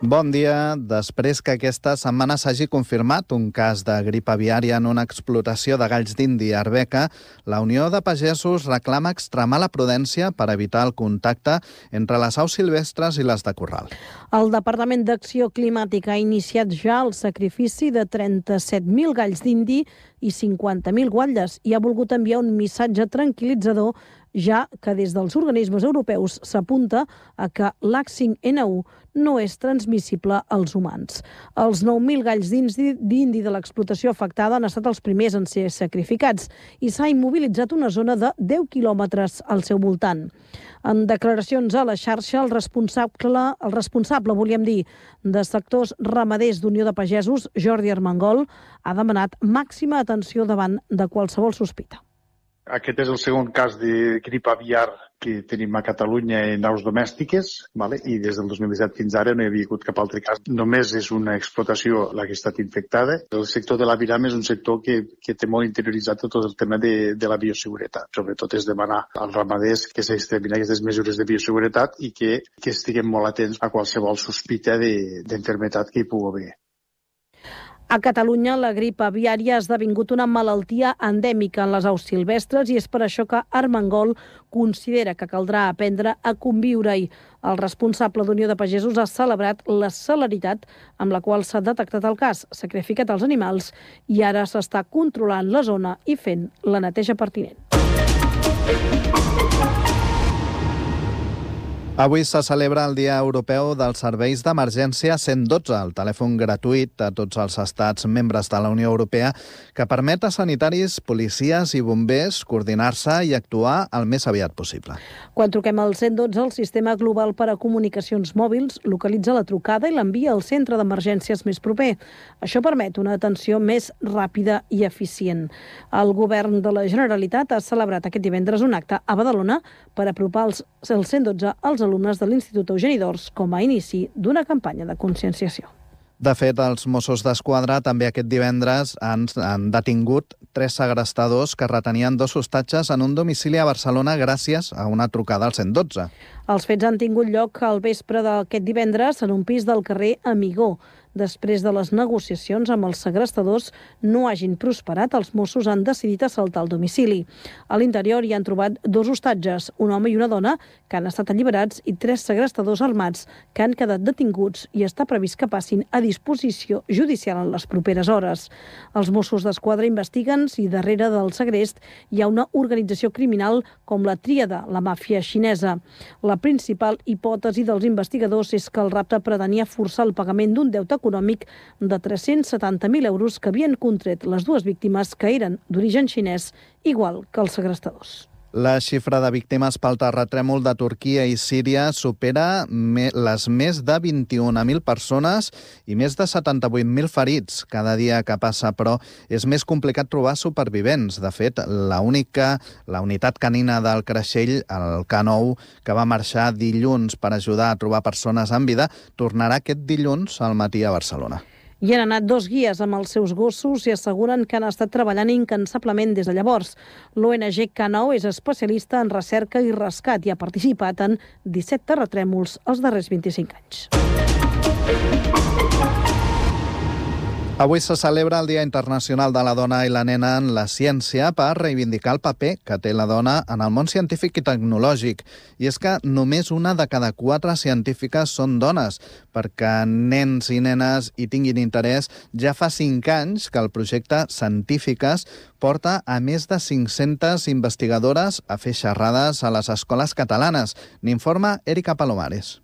Bon dia. Després que aquesta setmana s'hagi confirmat un cas de grip aviària en una explotació de galls d'indi a Arbeca, la Unió de Pagesos reclama extremar la prudència per evitar el contacte entre les aus silvestres i les de corral. El Departament d'Acció Climàtica ha iniciat ja el sacrifici de 37.000 galls d'indi i 50.000 guatlles i ha volgut enviar un missatge tranquil·litzador, ja que des dels organismes europeus s'apunta a que l'H5N1 no és transmissible als humans. Els 9.000 galls d'indi de l'explotació afectada han estat els primers en ser sacrificats i s'ha immobilitzat una zona de 10 quilòmetres al seu voltant. En declaracions a la xarxa, el responsable, de sectors ramaders d'Unió de Pagesos, Jordi Armengol, ha demanat màxima atenció davant de qualsevol sospita. Aquest és el segon cas de grip aviar que tenim a Catalunya en aus domèstiques, i des del 2017 fins ara no hi havia hagut cap altre cas. Només és una explotació la que ha estat infectada. El sector de l'aviram és un sector que té molt interioritzat tot el tema de la bioseguretat. Sobretot és demanar als ramaders que s'extremin aquestes mesures de bioseguretat i que estiguem molt atents a qualsevol sospita d'enfermetat que hi pugui haver. A Catalunya, la grip aviària ha esdevingut una malaltia endèmica en les aus silvestres i és per això que Armengol considera que caldrà aprendre a conviure-hi. El responsable d'Unió de Pagesos ha celebrat la celeritat amb la qual s'ha detectat el cas, sacrificat els animals i ara s'està controlant la zona i fent la neteja pertinent. Avui se celebra el Dia Europeu dels Serveis d'Emergència 112, el telèfon gratuït a tots els estats membres de la Unió Europea que permet a sanitaris, policies i bombers coordinar-se i actuar el més aviat possible. Quan truquem al 112, el Sistema Global per a Comunicacions Mòbils localitza la trucada i l'envia al centre d'emergències més proper. Això permet una atenció més ràpida i eficient. El govern de la Generalitat ha celebrat aquest divendres un acte a Badalona per apropar el 112 als alumnes de l'Institut Eugeni d'Ors com a inici d'una campanya de conscienciació. De fet, els Mossos d'Esquadra també aquest divendres han detingut 3 segrestadors que retenien 2 hostatges en un domicili a Barcelona gràcies a una trucada al 112. Els fets han tingut lloc al vespre d'aquest divendres en un pis del carrer Amigó. Després de les negociacions amb els segrestadors no hagin prosperat, els Mossos han decidit assaltar el domicili. A l'interior hi han trobat 2 hostatges, un home i una dona, que han estat alliberats, i 3 segrestadors armats que han quedat detinguts i està previst que passin a disposició judicial en les properes hores. Els Mossos d'Esquadra investiguen si darrere del segrest hi ha una organització criminal com la Tríada, la màfia xinesa. La principal hipòtesi dels investigadors és que el rapte pretenia forçar el pagament d'un deute econòmic de 370.000 euros que havien contret les 2 víctimes que eren d'origen xinès, igual que els segrestadors. La xifra de víctimes pel terratrèmol de Turquia i Síria supera les més de 21.000 persones i més de 78.000 ferits cada dia que passa, però és més complicat trobar supervivents. De fet, la unitat canina del Creixell, el K9, que va marxar dilluns per ajudar a trobar persones en vida, tornarà aquest dilluns al matí a Barcelona. Hi han anat 2 guies amb els seus gossos i asseguren que han estat treballant incansablement des de llavors. L'ONG K9 és especialista en recerca i rescat i ha participat en 17 terratrèmols els darrers 25 anys. Avui se celebra el Dia Internacional de la Dona i la Nena en la Ciència per reivindicar el paper que té la dona en el món científic i tecnològic. I és que només 1 de cada 4 científiques són dones. Perquè nens i nenes hi tinguin interès, ja fa 5 anys que el projecte Científiques porta a més de 500 investigadores a fer xerrades a les escoles catalanes. N'informa Erika Palomares.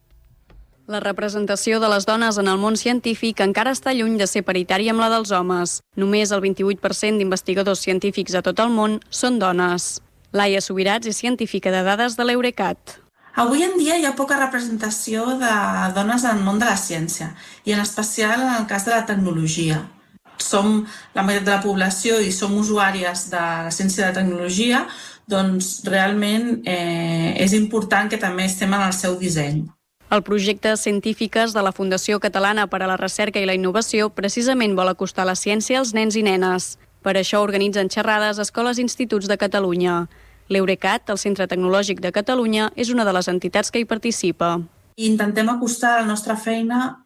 La representació de les dones en el món científic encara està lluny de ser paritària amb la dels homes. Només el 28% d'investigadors científics a tot el món són dones. Laia Subirats és científica de dades de l'Eurecat. Avui en dia hi ha poca representació de dones en el món de la ciència, i en especial en el cas de la tecnologia. Som la meitat de la població i som usuàries de la ciència i de tecnologia, doncs realment és important que també estem en el seu disseny. El projecte Científiques de la Fundació Catalana per a la Recerca i la Innovació precisament vol acostar la ciència als nens i nenes. Per això organitzen xerrades a escoles i instituts de Catalunya. L'Eurecat, el Centre Tecnològic de Catalunya, és una de les entitats que hi participa. i intentem acostar la nostra feina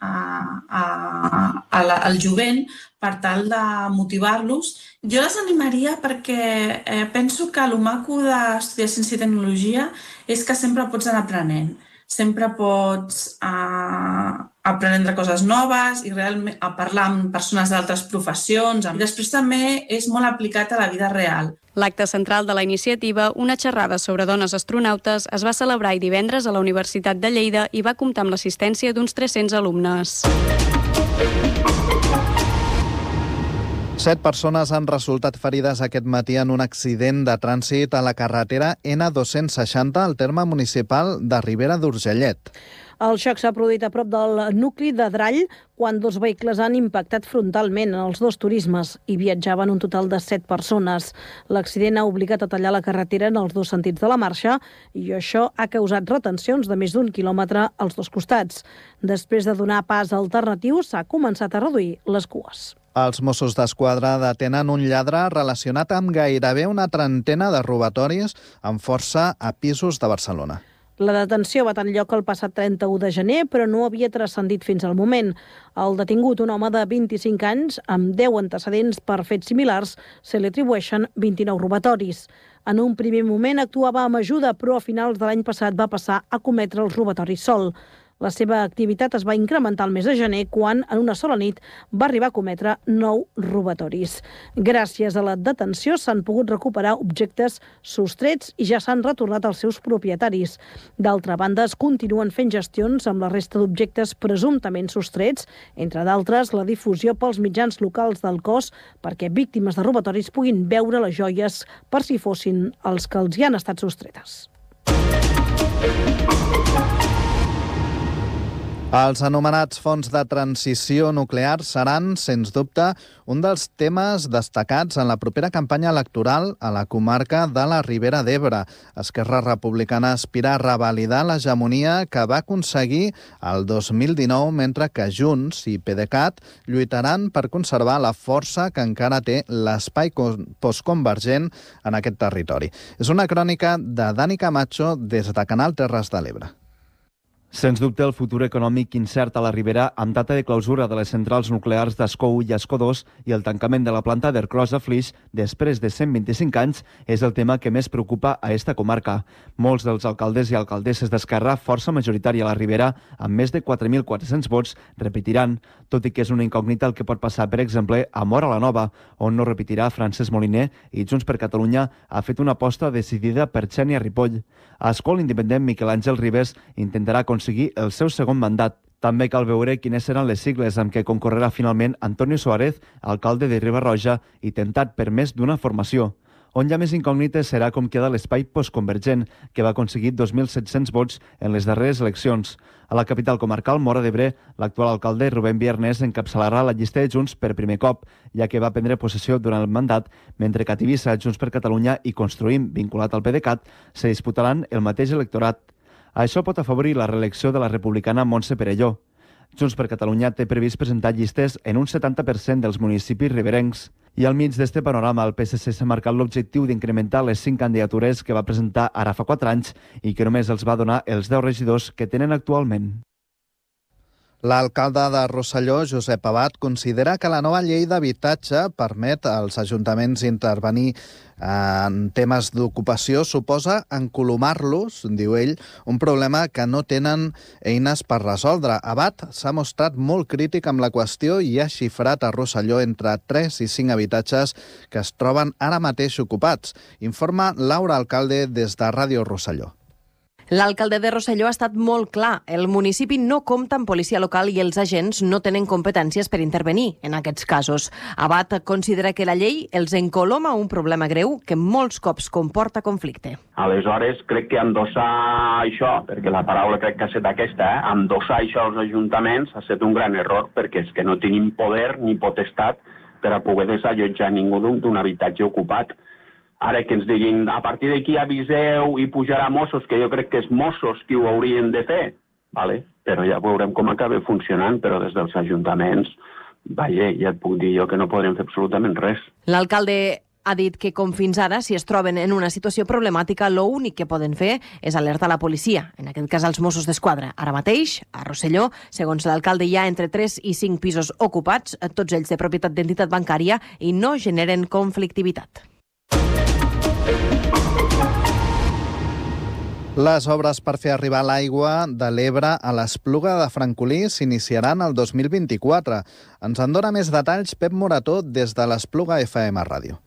al jovent per tal de motivar-los. Jo les animaria perquè penso que el maco d'estudiar ciència i tecnologia és que sempre pots anar aprenent. Sempre pots aprendre coses noves i realment a parlar amb persones d'altres professions. I després també és molt aplicat a la vida real. L'acte central de la iniciativa, una xerrada sobre dones astronautes, es va celebrar divendres a la Universitat de Lleida i va comptar amb l'assistència d'uns 300 alumnes. 7 persones han resultat ferides aquest matí en un accident de trànsit a la carretera N260 al terme municipal de Ribera d'Urgellet. El xoc s'ha produït a prop del nucli de Drall quan 2 vehicles han impactat frontalment en els 2 turismes i viatjaven un total de 7 persones. L'accident ha obligat a tallar la carretera en els 2 sentits de la marxa i això ha causat retencions de més d'1 quilòmetre als 2 costats. Després de donar pas alternatius, s'ha començat a reduir les cues. Els Mossos d'Esquadra detenen un lladre relacionat amb gairebé una trentena de robatoris amb força a pisos de Barcelona. La detenció va tenir lloc el passat 31 de gener, però no havia transcendit fins al moment. El detingut, un home de 25 anys, amb 10 antecedents per fets similars, se li atribueixen 29 robatoris. En un primer moment actuava amb ajuda, però a finals de l'any passat va passar a cometre els robatoris sol. La seva activitat es va incrementar el mes de gener quan, en una sola nit, va arribar a cometre 9 robatoris. Gràcies a la detenció s'han pogut recuperar objectes sostrets i ja s'han retornat als seus propietaris. D'altra banda, es continuen fent gestions amb la resta d'objectes presumptament sostrets, entre d'altres la difusió pels mitjans locals del cos perquè víctimes de robatoris puguin veure les joies per si fossin els que els hi han estat sostretes. Els anomenats fons de transició nuclear seran, sens dubte, un dels temes destacats en la propera campanya electoral a la comarca de la Ribera d'Ebre. Esquerra Republicana aspira a revalidar l'hegemonia que va aconseguir el 2019, mentre que Junts i PDeCAT lluitaran per conservar la força que encara té l'espai postconvergent en aquest territori. És una crònica de Dani Camacho des de Canal Terres de l'Ebre. Sens dubte, el futur econòmic incert a la Ribera, amb data de clausura de les centrals nuclears d'Ascó 1 i Ascó 2 i el tancament de la planta d'Ercros a Flix després de 125 anys, és el tema que més preocupa a esta comarca. Molts dels alcaldes i alcaldesses d'Esquerra, força majoritària a la Ribera, amb més de 4.400 vots, repetiran, tot i que és una incògnita el que pot passar, per exemple, a Móra la Nova, on no repetirà Francesc Moliner i Junts per Catalunya ha fet una aposta decidida per Xènia Ripoll. A Ascó, l'independent Miquel Àngel Ribes intentarà aconseguir el seu segon mandat. També cal veure quines seran les sigles amb què concorrerà finalment Antonio Suárez, alcalde de Riba-roja i tentat per més d'una formació. On hi ha més incògnites serà com queda l'espai postconvergent, que va aconseguir 2.700 vots en les darreres eleccions. A la capital comarcal, Móra d'Ebre, l'actual alcalde Rubén Viernes encapçalarà la llista de Junts per primer cop, ja que va prendre possessió durant el mandat, mentre que a Tivissa, Junts per Catalunya i Construïm, vinculat al PDeCAT, se disputaran el mateix electorat. Això pot afavorir la reelecció de la republicana Montse Perelló. Junts per Catalunya té previst presentar llistes en un 70% dels municipis riberencs. I al mig d'este panorama, el PSC s'ha marcat l'objectiu d'incrementar les 5 candidatures que va presentar ara fa 4 anys i que només els va donar els 10 regidors que tenen actualment. L'alcalde de Rosselló, Josep Abad, considera que la nova llei d'habitatge permet als ajuntaments intervenir en temes d'ocupació, suposa encolomar-los, diu ell, un problema que no tenen eines per resoldre. Abad s'ha mostrat molt crític amb la qüestió i ha xifrat a Rosselló entre 3 i 5 habitatges que es troben ara mateix ocupats. Informa Laura Alcalde des de Ràdio Rosselló. L'alcalde de Rosselló ha estat molt clar. El municipi no compta amb policia local i els agents no tenen competències per intervenir en aquests casos. Abad considera que la llei els encoloma un problema greu que molts cops comporta conflicte. Aleshores, crec que endossar això, perquè la paraula crec que ha estat aquesta, endossar això als ajuntaments ha estat un gran error, perquè és que no tenim poder ni potestat per a poder desallotjar ningú d'un habitatge ocupat. Ara que ens diguin, a partir d'aquí aviseu i pujarà Mossos, que jo crec que és Mossos qui ho haurien de fer, vale? Però ja veurem com acaba funcionant, però des dels ajuntaments, vaja, ja et puc dir jo que no podrem fer absolutament res. L'alcalde Ha dit que, com fins ara, si es troben en una situació problemàtica, l'únic que poden fer és alertar la policia, en aquest cas als Mossos d'Esquadra. Ara mateix, a Rosselló, segons l'alcalde, hi ha entre 3 i 5 pisos ocupats, tots ells de propietat d'entitat bancària, i no generen conflictivitat. Les obres per fer arribar l'aigua de l'Ebre a l'Espluga de Francolí s'iniciaran el 2024. Ens en dona més detalls Pep Morató des de l'Espluga FM Ràdio.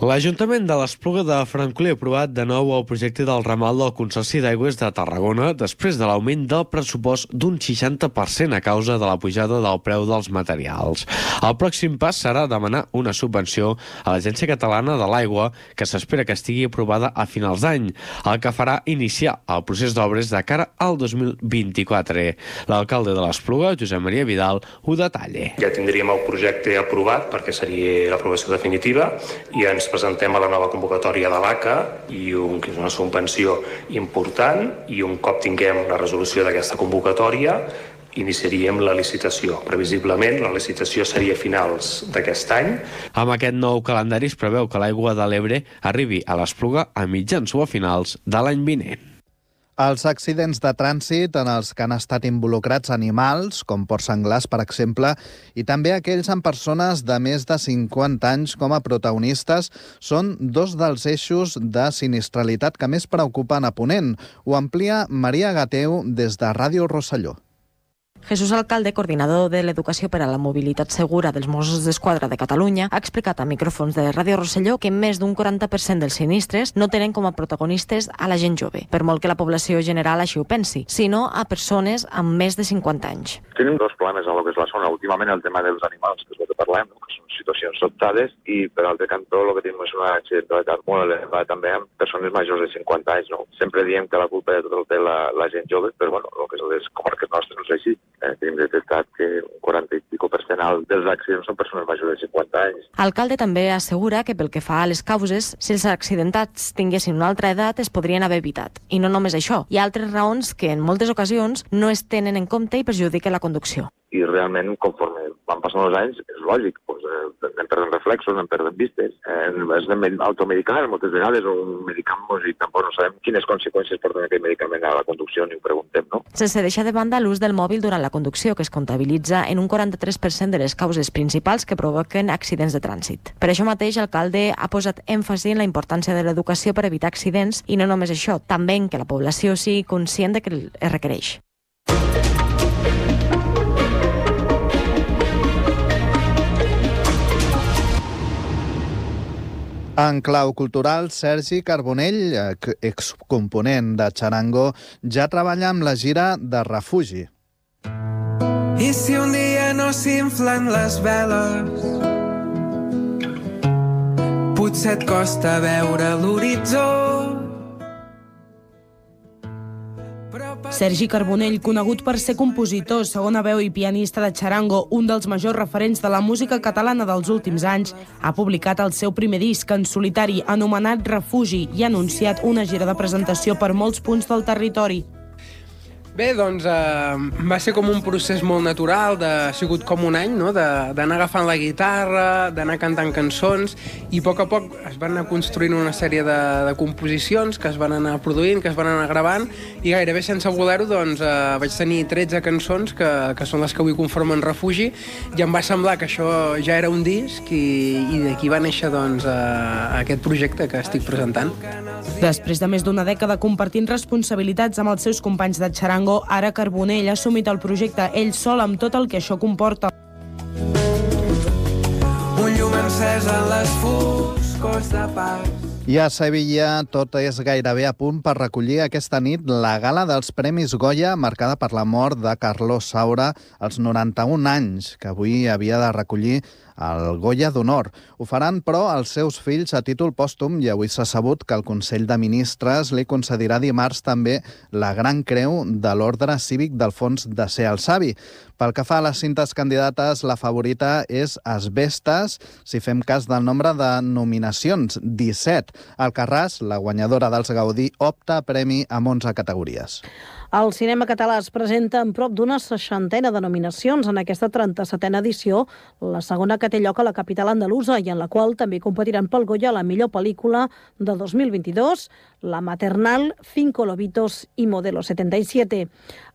L'Ajuntament de l'Espluga de Francolí ha aprovat de nou el projecte del ramal del Consorci d'Aigües de Tarragona després de l'augment del pressupost d'un 60% a causa de la pujada del preu dels materials. El pròxim pas serà demanar una subvenció a l'Agència Catalana de l'Aigua, que s'espera que estigui aprovada a finals d'any, el que farà iniciar el procés d'obres de cara al 2024. L'alcalde de l'Espluga, Josep Maria Vidal, ho detalla. Ja tindríem el projecte aprovat perquè seria l'aprovació definitiva i ens presentem a la nova convocatòria de l'ACA i que és una subvenció important, i un cop tinguem la resolució d'aquesta convocatòria iniciaríem la licitació. Previsiblement la licitació seria a finals d'aquest any. Amb aquest nou calendari es preveu que l'aigua de l'Ebre arribi a l'Espluga a mitjans o a finals de l'any vinent. Els accidents de trànsit en els que han estat involucrats animals, com porcs senglars, per exemple, i també aquells amb persones de més de 50 anys com a protagonistes, són dos dels eixos de sinistralitat que més preocupen a Ponent. Ho amplia Maria Gateu des de Ràdio Rosselló. Jesús Alcalde, coordinador de l'Educació per a la Mobilitat Segura dels Mossos d'Esquadra de Catalunya, ha explicat a micròfons de Ràdio Rosselló que més d'un 40% dels sinistres no tenen com a protagonistes a la gent jove, per molt que la població general així ho pensi, sinó a persones amb més de 50 anys. Tenim dos problemes a lo que és la zona. Últimament el tema dels animals, que és el que parlem, que són situacions sobtades, i per altre cantó el que tenim és una accidentalitat molt elevada també amb persones majors de 50 anys. No? Sempre diem que la culpa de tot el té la gent jove, però bueno, el que és les comarques nostres no és així. Tenim detectat que un 40 i pico % dels accidents són persones majors de 50 anys. Alcalde també assegura que pel que fa a les causes, si els accidentats tinguessin una altra edat es podrien haver evitat. I no només això, hi ha altres raons que en moltes ocasions no es tenen en compte i perjudiquen la conducció. I realment, conforme van passant els anys, és lògic, anem perdent reflexos, anem perdent vistes, anem automedicant moltes vegades, o medicant-nos i tampoc no sabem quines conseqüències porten aquest medicament a la conducció, ni ho preguntem, no? Sense deixar de banda l'ús del mòbil durant la conducció, que es comptabilitza en un 43% de les causes principals que provoquen accidents de trànsit. Per això mateix, l'alcalde ha posat èmfasi en la importància de l'educació per evitar accidents, i no només això, també en que la població sigui conscient de que es requereix. En clau cultural, Sergi Carbonell, excomponent de Charango, ja treballa amb la gira de Refugi. I si un dia no s'inflen les veles, potser et costa veure l'horitzó. Sergi Carbonell, conegut per ser compositor, segona veu i pianista de Charango, un dels majors referents de la música catalana dels últims anys, ha publicat el seu primer disc en solitari anomenat Refugi i ha anunciat una gira de presentació per molts punts del territori. Bé, doncs va ser com un procés molt natural, ha sigut com un any, no? D'anar agafant la guitarra, d'anar cantant cançons, i a poc es van anar construint una sèrie de composicions que es van anar produint, que es van anar gravant, i gairebé sense voler-ho doncs, vaig tenir 13 cançons que són les que avui conformen Refugi, i em va semblar que això ja era un disc, i d'aquí va néixer doncs, aquest projecte que estic presentant. Després de més d'una dècada compartint responsabilitats amb els seus companys de Charango, ara Carbonell ha assumit el projecte ell sol amb tot el que això comporta. Un llum encès en les foscors de pas. I a Sevilla tot és gairebé a punt per recollir aquesta nit la gala dels Premis Goya, marcada per la mort de Carlos Saura als 91 anys, que avui havia de recollir el Goya d'Honor. Ho faran, però, els seus fills a títol pòstum, i avui s'ha sabut que el Consell de Ministres li concedirà dimarts també la Gran Creu de l'Ordre Cívic d'Alfons de Ser el Savi. Pel que fa a les cintes candidates, la favorita és Asbestes, si fem cas del nombre de nominacions, 17. Alcarràs, la guanyadora dels Gaudí, opta a premi amb 11 categories. El cinema català es presenta en prop d'una 60ena de nominacions en aquesta 37a edició, la segona que té lloc a la capital andalusa i en la qual també competiran pel Goya la millor pel·lícula de 2022, La Maternal, Cinco Lobitos i Modelo 77.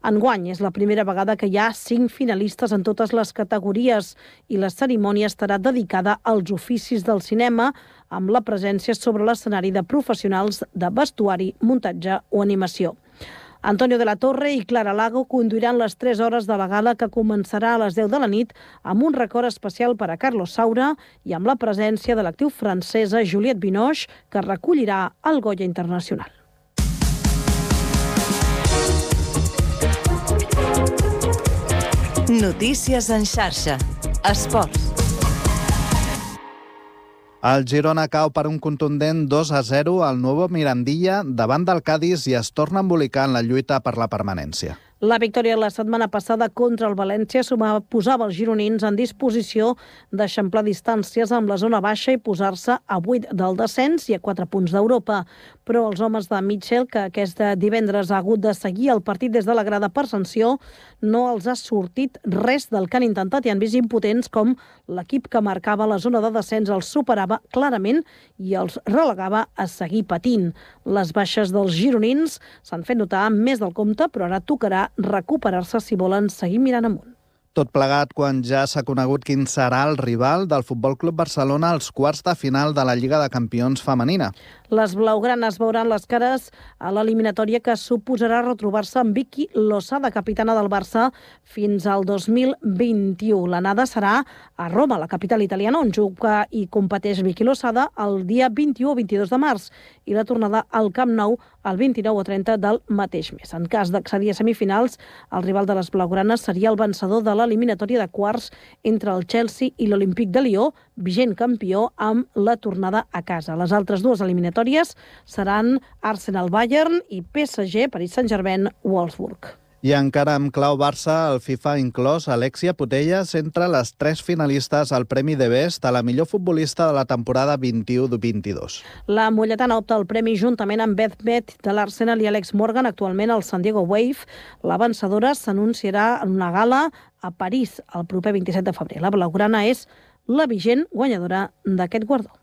Enguany és la primera vegada que hi ha 5 finalistes en totes les categories i la cerimònia estarà dedicada als oficis del cinema, amb la presència sobre l'escenari de professionals de vestuari, muntatge o animació. Antonio de la Torre i Clara Lago conduiran les 3 hores de la gala que començarà a les 10 de la nit amb un record especial per a Carlos Saura i amb la presència de l'actriu francesa Juliette Binoche, que recollirà el Goya Internacional. Notícies en xarxa. Esports. El Girona cau per un contundent 2-0 al Nuevo Mirandilla davant del Cádiz i es torna a embolicar en la lluita per la permanència. La victòria la setmana passada contra el València posava els gironins en disposició d'eixamplar distàncies amb la zona baixa i posar-se a 8 del descens i a 4 punts d'Europa. Però els homes de Mitchell, que aquest divendres ha hagut de seguir el partit des de la grada per sanció, no els ha sortit res del que han intentat i han vist impotents com l'equip que marcava la zona de descens els superava clarament i els relegava a seguir patint. Les baixes dels gironins s'han fet notar més del compte, però ara tocarà recuperar-se si volen seguir mirant amunt. Tot plegat quan ja s'ha conegut quin serà el rival del Futbol Club Barcelona als quarts de final de la Lliga de Campions femenina. Les blaugranes veuran les cares a l'eliminatòria que suposarà retrobar-se amb Vicky Losada, capitana del Barça, fins al 2021. L'anada serà a Roma, la capital italiana, on juga i competeix Vicky Losada el dia 21 o 22 de març i la tornada al Camp Nou el 29 o 30 del mateix mes. En cas d'accedir a semifinals, el rival de les blaugranes seria el vencedor de l'eliminatòria de quarts entre el Chelsea i l'Olímpic de Lió, vigent campió amb la tornada a casa. Les altres dues eliminatòries seran Arsenal-Bayern i PSG-Paris Saint-Germain-Wolfsburg. I encara amb clau Barça, el FIFA ha inclòs Alexia Putellas entre les 3 finalistes al Premi de Best a la millor futbolista de la temporada 21-22. La molletana opta al premi juntament amb Beth Beth de l'Arsenal i Alex Morgan, actualment al San Diego Wave. La vencedora s'anunciarà en una gala a París el proper 27 de febrer. La blaugrana és la vigent guanyadora d'aquest guardó.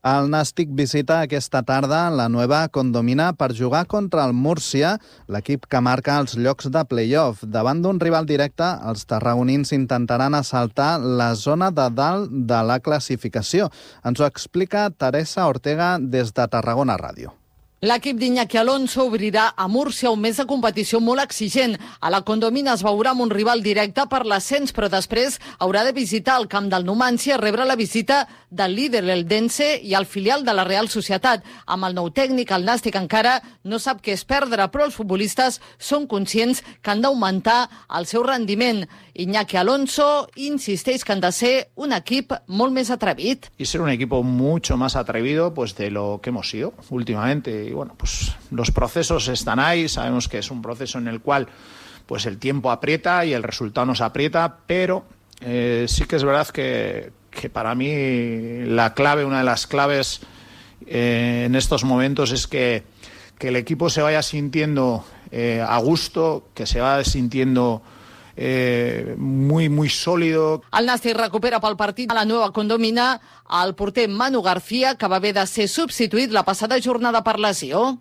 El Nàstic visita aquesta tarda la Nueva Condomina per jugar contra el Múrcia, l'equip que marca els llocs de play-off. Davant d'un rival directe, els tarragonins intentaran assaltar la zona de dalt de la classificació. Ens ho explica Teresa Ortega des de Tarragona Ràdio. L'equip d'Iñaki Alonso obrirà a Múrcia un mes de competició molt exigent. A la Condomina es veurà amb un rival directe per l'ascens, però després haurà de visitar el camp del Numancia i rebre la visita del líder, l'Eldense, i el filial de la Real Societat. Amb el nou tècnic, el Nàstic encara no sap què és perdre, però els futbolistes són conscients que han d'augmentar el seu rendiment. Iñaki Alonso insisteix que han de ser un equip molt més atrevit. Y ser un equipo mucho más atrevido pues de lo que hemos sido últimamente. Y bueno, pues los procesos están ahí, sabemos que es un proceso en el cual pues el tiempo aprieta y el resultado nos aprieta, pero sí que es verdad que para mí la clave, una de las claves en estos momentos es que el equipo se vaya sintiendo a gusto, que se vaya sintiendo muy sólido. El Nàstic recupera pel partit a la Nueva Condomina el porter Manu García, que va haver de ser substituït la passada jornada per lesió.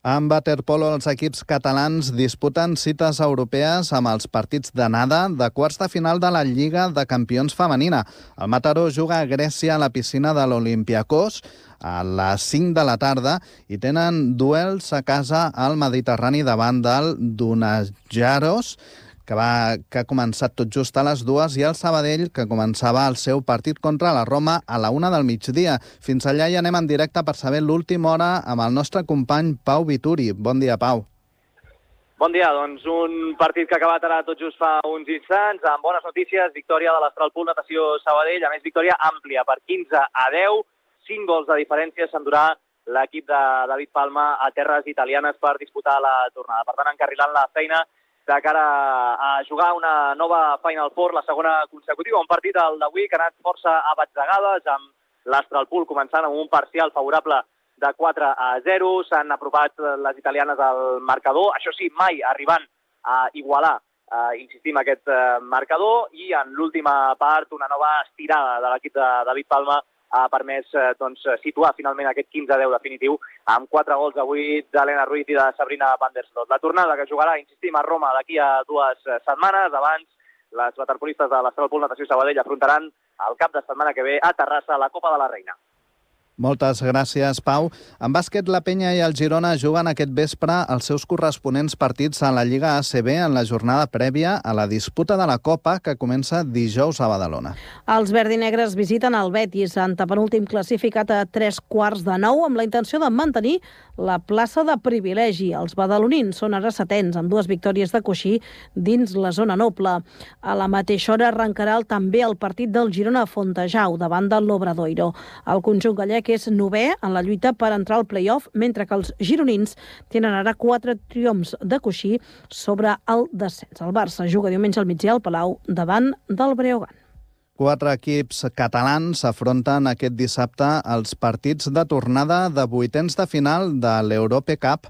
En waterpolo, els equips catalans disputen cites europees amb els partits d'anada de quarts de final de la Lliga de Campions femenina. El Mataró juga a Grècia a la piscina de l'Olympiakos a les 5 de la tarda i tenen duels a casa al Mediterrani davant del Dunajaros, que ha començat tot just a les 2, i el Sabadell, que començava el seu partit contra la Roma a la 1 del migdia. Fins allà hi anem en directe per saber l'última hora amb el nostre company Pau Vituri. Bon dia, Pau. Bon dia, doncs un partit que ha acabat ara tot just fa uns instants, amb bones notícies, victòria de l'Astralpool Natació Sabadell, a més victòria àmplia per 15-10, 5 gols de diferència s'endurà l'equip de David Palma a terres italianes per disputar la tornada. Per tant, encarrilant la feina de cara a jugar una nova Final Four, la segona consecutiva. Un partit d'avui que ha anat força a batzegades, amb l'Astralpool començant amb un parcial favorable de 4-0. S'han apropat les italianes al marcador, això sí, mai arribant a igualar, insistim, aquest marcador, i en l'última part una nova estirada de l'equip de David Palma ha permès situar finalment aquest 15-10 definitiu amb 4 gols avui d'Helena Ruiz i de Sabrina van der Sloot. La tornada que jugarà, insistim, a Roma d'aquí a 2 setmanes. Abans, les waterpolistes de l'Astral Pool Natació Sabadell afrontaran el cap de setmana que ve a Terrassa la Copa de la Reina. Moltes gràcies, Pau. En bàsquet, la Penya i el Girona juguen aquest vespre els seus corresponents partits a la Lliga ACB en la jornada prèvia a la disputa de la Copa, que comença dijous a Badalona. Els verdinegres visiten el Betis, antepenúltim classificat a 8:45, amb la intenció de mantenir la plaça de privilegi. Els badalonins són ara 7ens, amb 2 victòries de coixí dins la zona noble. A la mateixa hora arrencarà també el partit del Girona a Fontejau, davant del l'Obradoiro. El conjunt gallec és 9è en la lluita per entrar al play-off, mentre que els gironins tenen ara 4 triomfs de coixí sobre el descens. El Barça juga diumenge al migdia al Palau davant del Breogán. 4 equips catalans s'afronten aquest dissabte als partits de tornada de vuitens de final de l'Europe Cup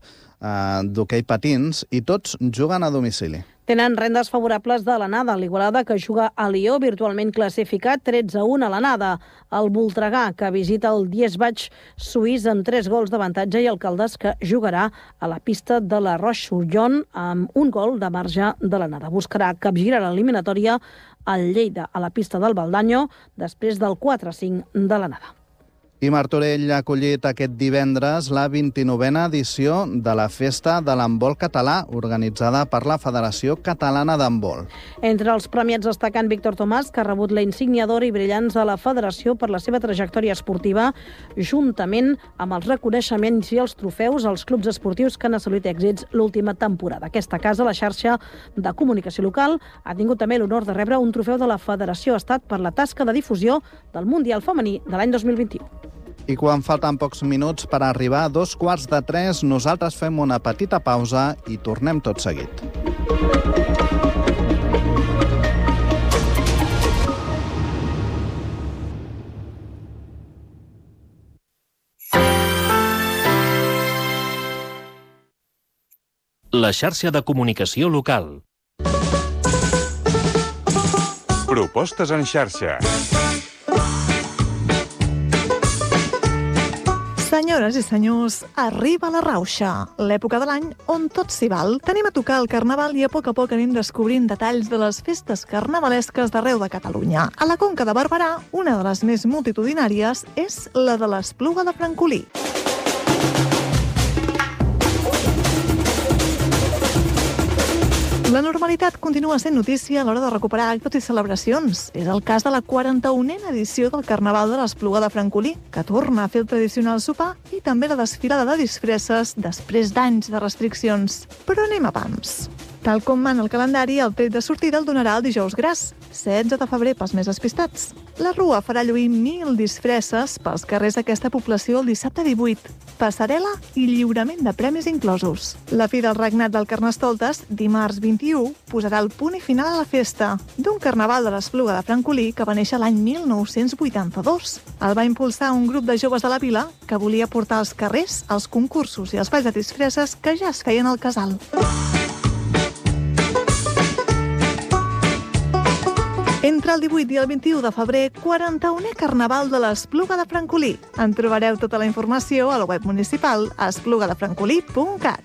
d'hoquei patins i tots juguen a domicili. Tenen rendes favorables de l'anada, l'Igualada, que juga a Lió, virtualment classificat 13-1 a l'anada. El Voltregà, que visita el Diesbach suís amb 3 gols d'avantatge, i el Caldes, que jugarà a la pista de la Roche-sur-Yon amb 1 gol de marge de l'anada. Buscarà capgirar l'eliminatòria al Lleida a la pista del Baldanyo després del 4-5 de l'anada. I Martorell ha acollit aquest divendres la 29a edició de la Festa de l'Handbol Català, organitzada per la Federació Catalana d'Handbol. Entre els premiats destacant Víctor Tomàs, que ha rebut la insígnia d'or i brillants de la Federació per la seva trajectòria esportiva, juntament amb els reconeixements i els trofeus als clubs esportius que han assolit èxits l'última temporada. Aquesta casa, la xarxa de comunicació local, ha tingut també l'honor de rebre un trofeu de la Federació Estat per la tasca de difusió del Mundial Femení de l'any 2021. I quan falten pocs minuts per arribar a 2:45, nosaltres fem una petita pausa i tornem tot seguit. La xarxa de comunicació local. Propostes en xarxa. Senyores i senyors, arriba la rauxa, l'època de l'any on tot s'hi val. Tenim a tocar el Carnaval i a poc anem descobrint detalls de les festes carnavalesques d'arreu de Catalunya. A la Conca de Barberà, una de les més multitudinàries és la de l'Espluga de Francolí. La normalitat continua sent notícia a l'hora de recuperar actes i celebracions. És el cas de la 41a edició del Carnaval de l'Espluga de Francolí, que torna a fer el tradicional sopar, i també la desfilada de disfresses després d'anys de restriccions. Però anem a pams. Tal com mana el calendari, el tret de sortida el donarà el dijous gras, 16 de febrer pels més despistats. La Rua farà lluir 1.000 disfresses pels carrers d'aquesta població el dissabte 18. Passarel·la i lliurament de premis inclosos. La fi del regnat del Carnestoltes, dimarts 21, posarà el punt i final a la festa d'un Carnaval de l'Espluga de Francolí que va néixer l'any 1982. El va impulsar un grup de joves de la vila que volia portar als carrers els concursos i els balls de disfresses que ja es feien al casal. Entre el 18 i el 21 de febrer, 41è Carnaval de l'Espluga de Francolí. En trobareu tota la informació a la web municipal esplugadefrancolí.cat.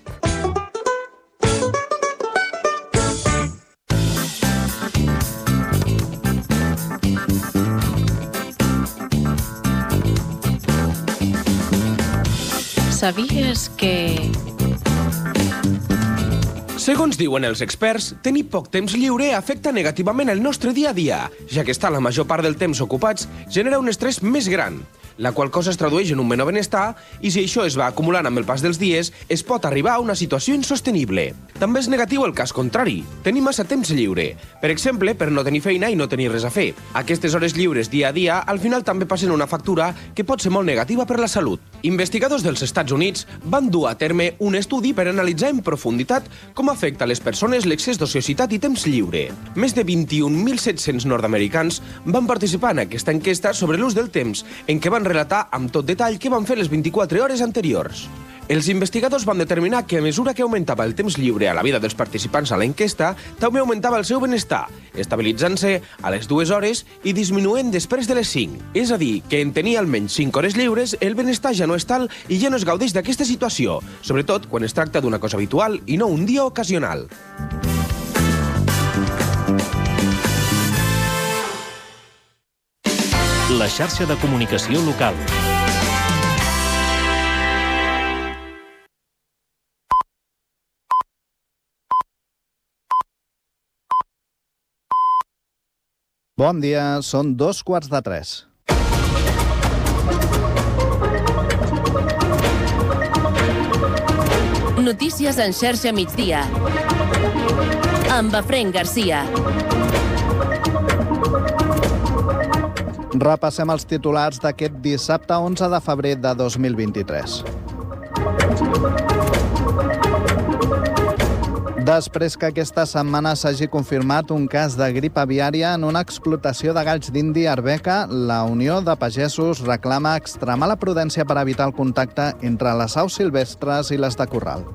Sabies que... Segons diuen els experts, tenir poc temps lliure afecta negativament el nostre dia a dia, ja que estar la major part del temps ocupats genera un estrès més gran, la qual cosa es tradueix en un menor benestar i si això es va acumulant amb el pas dels dies, es pot arribar a una situació insostenible. També és negatiu el cas contrari, tenir massa temps lliure, per exemple, per no tenir feina i no tenir res a fer. Aquestes hores lliures dia a dia al final també passen una factura que pot ser molt negativa per la salut. Investigadors dels Estats Units van dur a terme un estudi per analitzar en profunditat com afecta a les persones l'excés d'ociositat i temps lliure. Més de 21.700 nord-americans van participar en aquesta enquesta sobre l'ús del temps, en què van relatar amb tot detall què van fer les 24 hores anteriors. Els investigadors van determinar que a mesura que augmentava el temps lliure a la vida dels participants a l'enquesta, també augmentava el seu benestar, estabilitzant-se a les 2 hores i disminuint després de les 5. És a dir, que en tenir almenys 5 hores lliures, el benestar ja no és tal i ja no es gaudeix d'aquesta situació, sobretot quan es tracta d'una cosa habitual i no un dia ocasional. La xarxa de comunicació local. Bon dia, són 2:45. Notícies en xarxa migdia. Amb Efraín Garcia. Repassem els titulars d'aquest dissabte 11 de febrer de 2023. Després que aquesta setmana s'hagi confirmat un cas de grip aviària en una explotació de galls d'Indi a Arbeca, la Unió de Pagesos reclama extremar la prudència per evitar el contacte entre les aus silvestres i les de corral.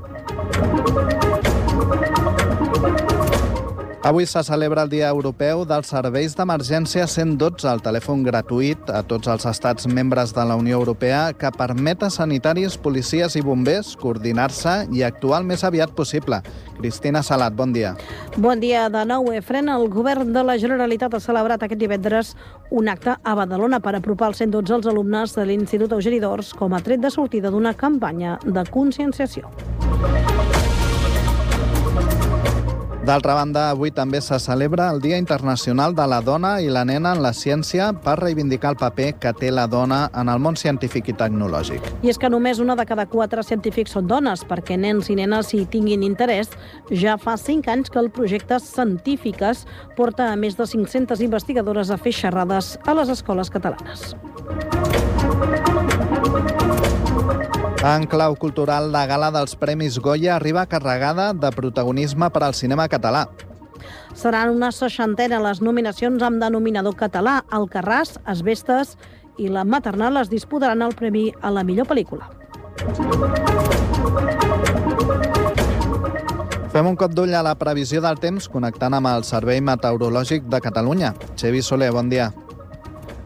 Avui se celebra el Dia Europeu dels Serveis d'Emergència 112, el telèfon gratuït a tots els estats membres de la Unió Europea que permet a sanitaris, policies i bombers coordinar-se i actuar el més aviat possible. Cristina Salat, bon dia. Bon dia de nou, Efren. El govern de la Generalitat ha celebrat aquest divendres un acte a Badalona per apropar el 112 als alumnes de l'Institut Eugeni d'Ors com a tret de sortida d'una campanya de conscienciació. D'altra banda, avui també se celebra el Dia Internacional de la Dona i la Nena en la Ciència per reivindicar el paper que té la dona en el món científic i tecnològic. I és que només una de cada 4 científics són dones, perquè nens i nenes hi tinguin interès. Ja fa 5 anys que el projecte Científiques porta a més de 500 investigadores a fer xerrades a les escoles catalanes. En clau cultural, la gala dels Premis Goya arriba carregada de protagonisme per al cinema català. Seran una 60 les nominacions amb denominador català. Alcarràs, Asbestes i La Maternal es disputaran el premi a la millor pel·lícula. Fem un cop d'ull a la previsió del temps connectant amb el Servei Meteorològic de Catalunya. Xevi Soler, bon dia.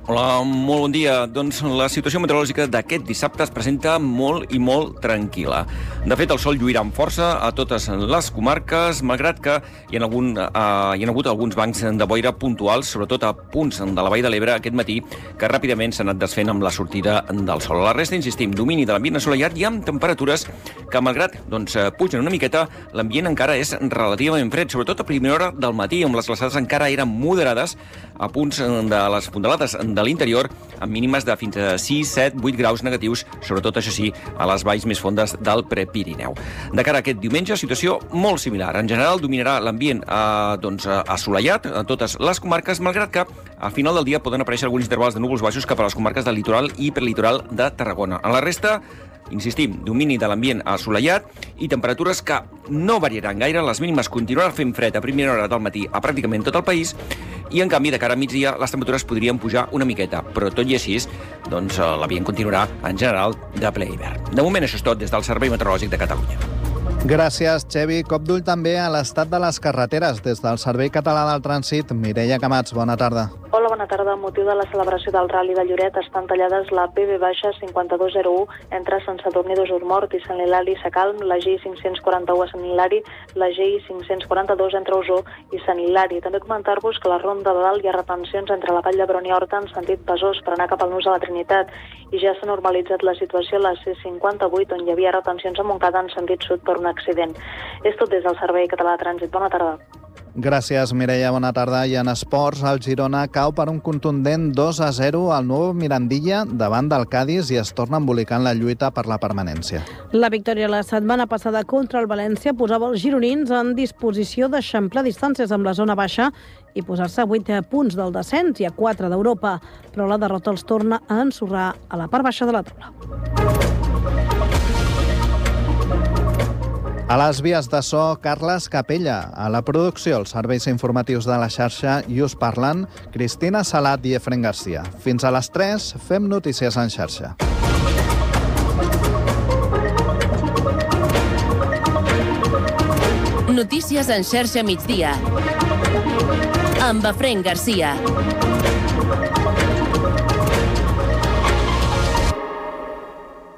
Hola, molt bon dia. Doncs la situació meteorològica d'aquest dissabte es presenta molt i molt tranquil·la. De fet, el sol lluirà amb força a totes les comarques, malgrat que hi ha hagut alguns bancs de boira puntuals, sobretot a punts de la Vall de l'Ebre aquest matí, que ràpidament s'han anat desfent amb la sortida del sol. A la resta, insistim, domini de l'ambient assolellat i amb temperatures que, malgrat pugen una miqueta, l'ambient encara és relativament fred, sobretot a primera hora del matí, on les glaçades encara eren moderades a punts de les fondalades de l'interior, amb mínimes de fins a 6, 7, 8 graus negatius, sobretot, això sí, a les valls més fondes del Prepirineu. De cara a aquest diumenge, situació molt similar. En general, dominarà l'ambient assolellat a totes les comarques, malgrat que al final del dia poden aparèixer alguns intervals de núvols baixos cap a les comarques del litoral i prelitoral de Tarragona. En la resta, insistim, domini de l'ambient assolellat i temperatures que no variaran gaire. Les mínimes continuaran fent fred a primera hora del matí a pràcticament tot el país i, en canvi, de cara a migdia, les temperatures podrien pujar una miqueta, però tot i així, l'ambient continuarà, en general, de ple hivern. De moment, això és tot des del Servei Meteorològic de Catalunya. Gràcies, Xevi. Cop d'ull també a l'estat de les carreteres. Des del Servei Català del Trànsit, Mireia Camats, bona tarda. Hola, bona tarda. Amb motiu de la celebració del Rally de Lloret estan tallades la PB-5201 entre Sant Sadurní d'Osormort i Sant Hilari Sacalm, la GI541 a Sant Hilari, la GI542 entre Osor i Sant Hilari. També comentar-vos que a la Ronda de Dalt hi ha retencions entre la Vall d'Hebron i Horta en sentit Besòs per anar cap al Nus de la Trinitat i ja s'ha normalitzat la situació a la C58 on hi havia retencions a Montcada en sentit sud per un accident. És tot des del Servei Català de Trànsit. Bona tarda. Gràcies, Mireia. Bona tarda. I en esports, el Girona cau per un contundent 2-0 al nou Mirandilla davant del Cádiz i es torna a embolicar en la lluita per la permanència. La victòria la setmana passada contra el València posava els gironins en disposició d'eixamplar distàncies amb la zona baixa i posar-se a 8 punts del descens i a 4 d'Europa, però la derrota els torna a ensorrar a la part baixa de la taula. A les vies de so, Carles Capella. A la producció, els serveis informatius de la xarxa i us parlen Cristina Salat i Efren Garcia. Fins a les 3 fem notícies en xarxa. Notícies en xarxa migdia. Amb Efren Garcia.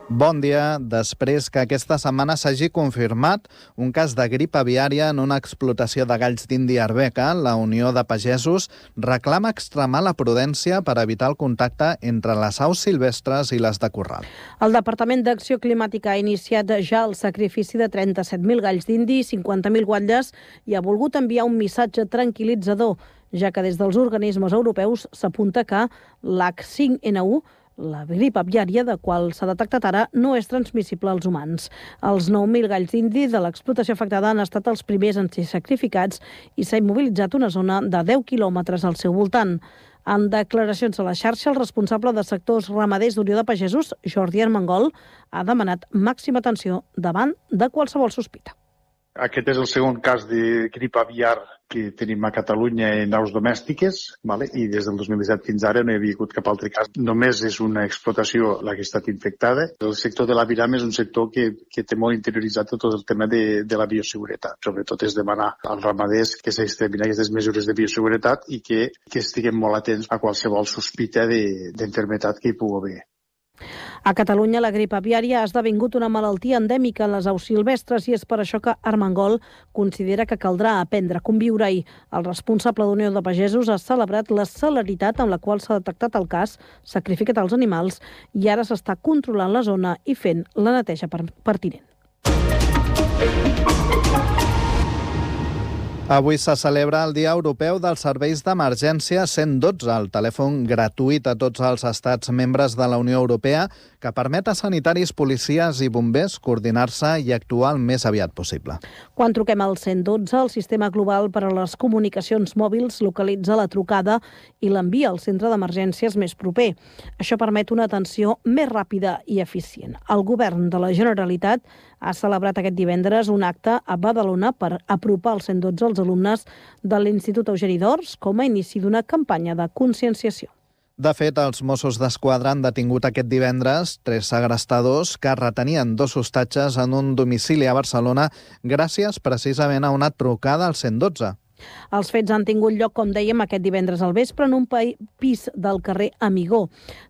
Bon dia. Després que aquesta setmana s'hagi confirmat un cas de grip aviària en una explotació de galls d'Índia a Arbeca, la Unió de Pagesos reclama extremar la prudència per evitar el contacte entre les aus silvestres i les de corral. El Departament d'Acció Climàtica ha iniciat ja el sacrifici de 37.000 galls d'Indi i 50.000 guatlles i ha volgut enviar un missatge tranquil·litzador, ja que des dels organismes europeus s'apunta que l'H5N1, la grip aviària de qual s'ha detectat ara, no és transmissible als humans. Els 9.000 galls d'indi de l'explotació afectada han estat els primers en ser sacrificats i s'ha immobilitzat una zona de 10 quilòmetres al seu voltant. En declaracions a la xarxa, el responsable de sectors ramaders d'Unió de Pagesos, Jordi Armengol, ha demanat màxima atenció davant de qualsevol sospita. Aquest és el segon cas de grip aviar que tenim a Catalunya en aus domèstiques, i des del 2017 fins ara no hi havia hagut cap altre cas. Només és una explotació la que ha estat infectada. El sector de l'aviram és un sector que té molt interioritzat tot el tema de la bioseguretat. Sobretot és demanar als ramaders que s'extremin aquestes mesures de bioseguretat i que estiguem molt atents a qualsevol sospita d'enfermetat que hi pugui haver. A Catalunya, la grip aviària ha esdevingut una malaltia endèmica en les aus silvestres i és per això que Armengol considera que caldrà aprendre a conviure-hi. El responsable d'Unió de Pagesos ha celebrat la celeritat amb la qual s'ha detectat el cas, sacrificat els animals i ara s'està controlant la zona i fent la neteja pertinent. Avui se celebra el Dia Europeu dels Serveis d'Emergència 112, el telèfon gratuït a tots els estats membres de la Unió Europea que permet a sanitaris, policies i bombers coordinar-se i actuar el més aviat possible. Quan truquem al 112, el sistema global per a les comunicacions mòbils localitza la trucada i l'envia al centre d'emergències més proper. Això permet una atenció més ràpida i eficient. El govern de la Generalitat ha celebrat aquest divendres un acte a Badalona per apropar el 112 als alumnes de l'Institut Eugeni d'Ors com a inici d'una campanya de conscienciació. De fet, els Mossos d'Esquadra han detingut aquest divendres 3 segrestadors que retenien 2 hostatges en un domicili a Barcelona gràcies precisament a una trucada al 112. Els fets han tingut lloc, com dèiem, aquest divendres al vespre en un pis del carrer Amigó.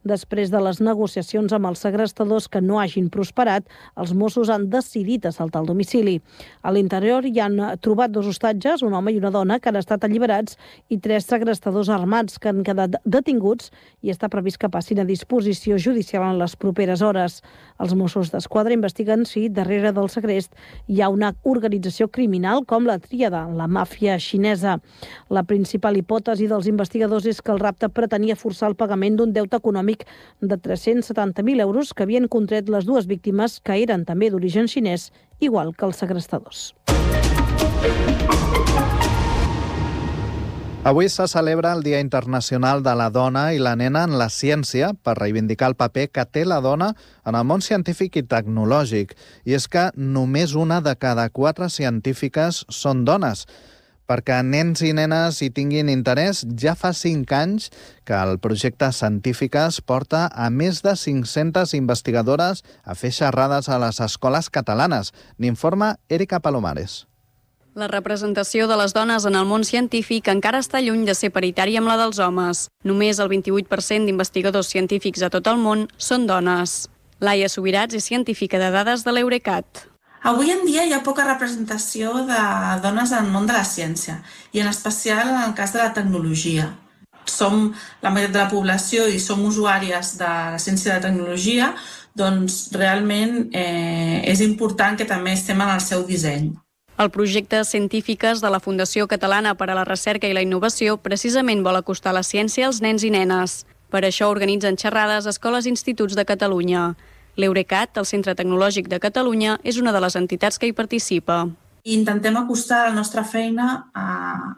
Després de les negociacions amb els segrestadors que no hagin prosperat, els Mossos han decidit assaltar el domicili. A l'interior hi han trobat 2 hostatges, un home i una dona, que han estat alliberats i 3 segrestadors armats que han quedat detinguts i està previst que passin a disposició judicial en les properes hores. Els Mossos d'Esquadra investiguen si darrere del segrest hi ha una organització criminal com la Tríada, la màfia xinesa. La principal hipòtesi dels investigadors és que el rapte pretenia forçar el pagament d'un deute econòmic de 370.000 euros que havien contret les 2 víctimes, que eren també d'origen xinès, igual que els segrestadors. Avui se celebra el Dia Internacional de la Dona i la Nena en la Ciència per reivindicar el paper que té la dona en el món científic i tecnològic. I és que només una de cada 4 científiques són dones. Perquè nens i nenes hi tinguin interès, ja fa 5 anys que el projecte Científiques porta a més de 500 investigadores a fer xerrades a les escoles catalanes. N'informa Erika Palomares. La representació de les dones en el món científic encara està lluny de ser paritària amb la dels homes. Només el 28% d'investigadors científics a tot el món són dones. Laia Subirats és científica de dades de l'Eurecat. Avui en dia hi ha poca representació de dones en el món de la ciència, i en especial en el cas de la tecnologia. Som la meitat de la població i som usuàries de la ciència i de la tecnologia, doncs realment és important que també estem en el seu disseny. El projecte Científiques de la Fundació Catalana per a la Recerca i la Innovació precisament vol acostar la ciència als nens i nenes. Per això organitzen xerrades a escoles i instituts de Catalunya. L'Eurecat, el Centre Tecnològic de Catalunya, és una de les entitats que hi participa. Intentem acostar la nostra feina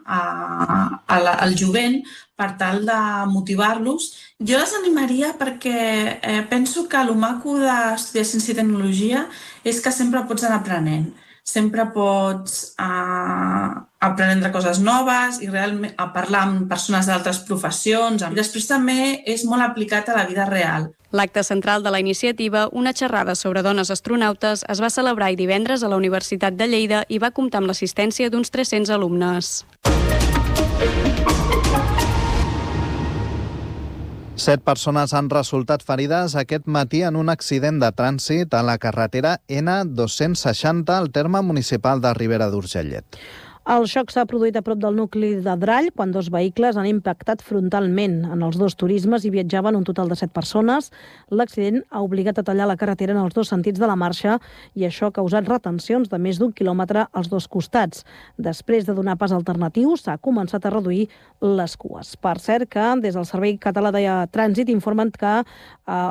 al jovent per tal de motivar-los. Jo les animaria perquè penso que el maco d'estudiar ciència i tecnologia és que sempre pots anar aprenent. Sempre pots aprendre coses noves i realment parlar amb persones d'altres professions. Després també és molt aplicat a la vida real. L'acte central de la iniciativa, una xerrada sobre dones astronautes, es va celebrar divendres a la Universitat de Lleida i va comptar amb l'assistència d'uns 300 alumnes. 7 persones han resultat ferides aquest matí en un accident de trànsit a la carretera N260 al terme municipal de Ribera d'Urgellet. El xoc s'ha produït a prop del nucli de Drall quan dos vehicles han impactat frontalment. En els dos turismes hi viatjaven un total de 7 persones. L'accident ha obligat a tallar la carretera en els dos sentits de la marxa i això ha causat retencions de més d'1 quilòmetre als dos costats. Després de donar pas alternatiu, s'ha començat a reduir les cues. Per cert que des del Servei Català de Trànsit informen que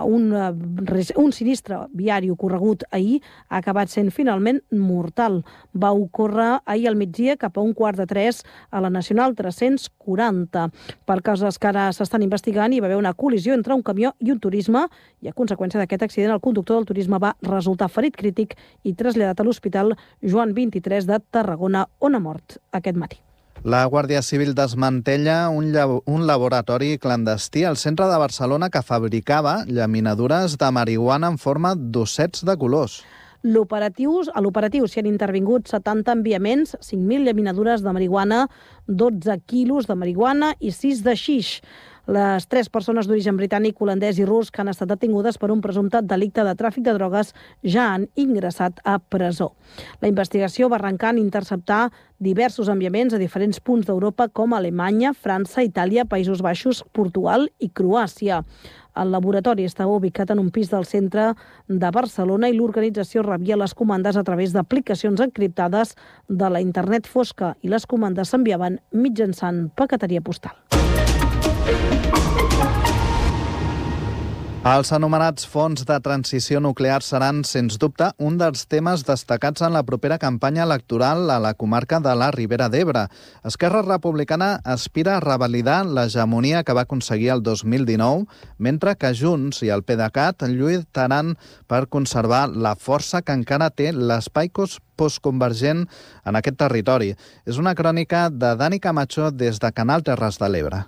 un sinistre viari ocorregut ahir ha acabat sent finalment mortal. Va ocórrer ahir al migdia cap a 2:15 a la Nacional 340. Per causes que ara s'estan investigant, hi va haver una col·lisió entre un camió i un turisme i a conseqüència d'aquest accident el conductor del turisme va resultar ferit crític i traslladat a l'Hospital Joan 23 de Tarragona, on ha mort aquest matí. La Guàrdia Civil desmantella un laboratori clandestí al centre de Barcelona que fabricava llaminadures de marihuana en forma d'ossets de colors. A l'operatiu s'hi han intervingut 70 enviaments, 5.000 llaminadures de marihuana, 12 quilos de marihuana i 6 de xix. Les 3 persones d'origen britànic, holandès i rus que han estat detingudes per un presumpte delicte de tràfic de drogues ja han ingressat a presó. La investigació va arrencar en interceptar diversos enviaments a diferents punts d'Europa com Alemanya, França, Itàlia, Països Baixos, Portugal i Croàcia. El laboratori estava ubicat en un pis del centre de Barcelona i l'organització rebia les comandes a través d'aplicacions encriptades de la internet fosca i les comandes s'enviaven mitjançant paqueteria postal. Els anomenats fons de transició nuclear seran, sens dubte, un dels temes destacats en la propera campanya electoral a la comarca de la Ribera d'Ebre. Esquerra Republicana aspira a revalidar l'hegemonia que va aconseguir el 2019, mentre que Junts i el PDeCAT lluitaran per conservar la força que encara té l'espai postconvergent en aquest territori. És una crònica de Dani Camacho des de Canal Terres de l'Ebre.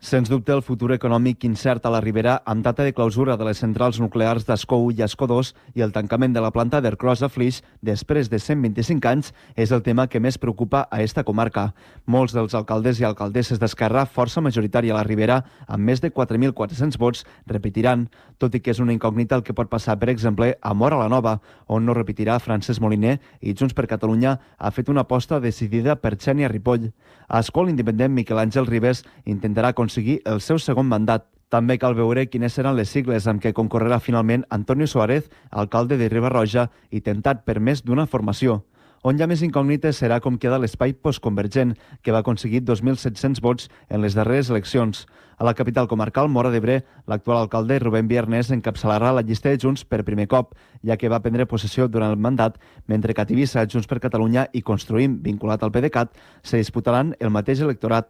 Sens dubte, el futur econòmic incert a la Ribera, amb data de clausura de les centrals nuclears d'Escó 1 i Escó 2 i el tancament de la planta d'Ercros a Flix després de 125 anys, és el tema que més preocupa a esta comarca. Molts dels alcaldes i alcaldesses d'Esquerra, força majoritària a la Ribera, amb més de 4.400 vots, repetiran, tot i que és una incògnita el que pot passar, per exemple, a Móra la Nova, on no repetirà Francesc Moliner i Junts per Catalunya ha fet una aposta decidida per Xènia Ripoll. A Escó, l'independent Miquel Àngel Ribes intentarà aconseguir el seu segon mandat. També cal veure quines seran les sigles amb què concorrerà finalment Antonio Suárez, alcalde de Riba-roja i tentat per més d'una formació. On hi ha més incògnites serà com queda l'espai postconvergent, que va aconseguir 2.700 vots en les darreres eleccions. A la capital comarcal, Móra d'Ebre, l'actual alcalde Rubén Viernes encapçalarà la llista de Junts per primer cop, ja que va prendre possessió durant el mandat, mentre que a Tivissa, Junts per Catalunya i Construïm, vinculat al PDeCAT, se disputaran el mateix electorat.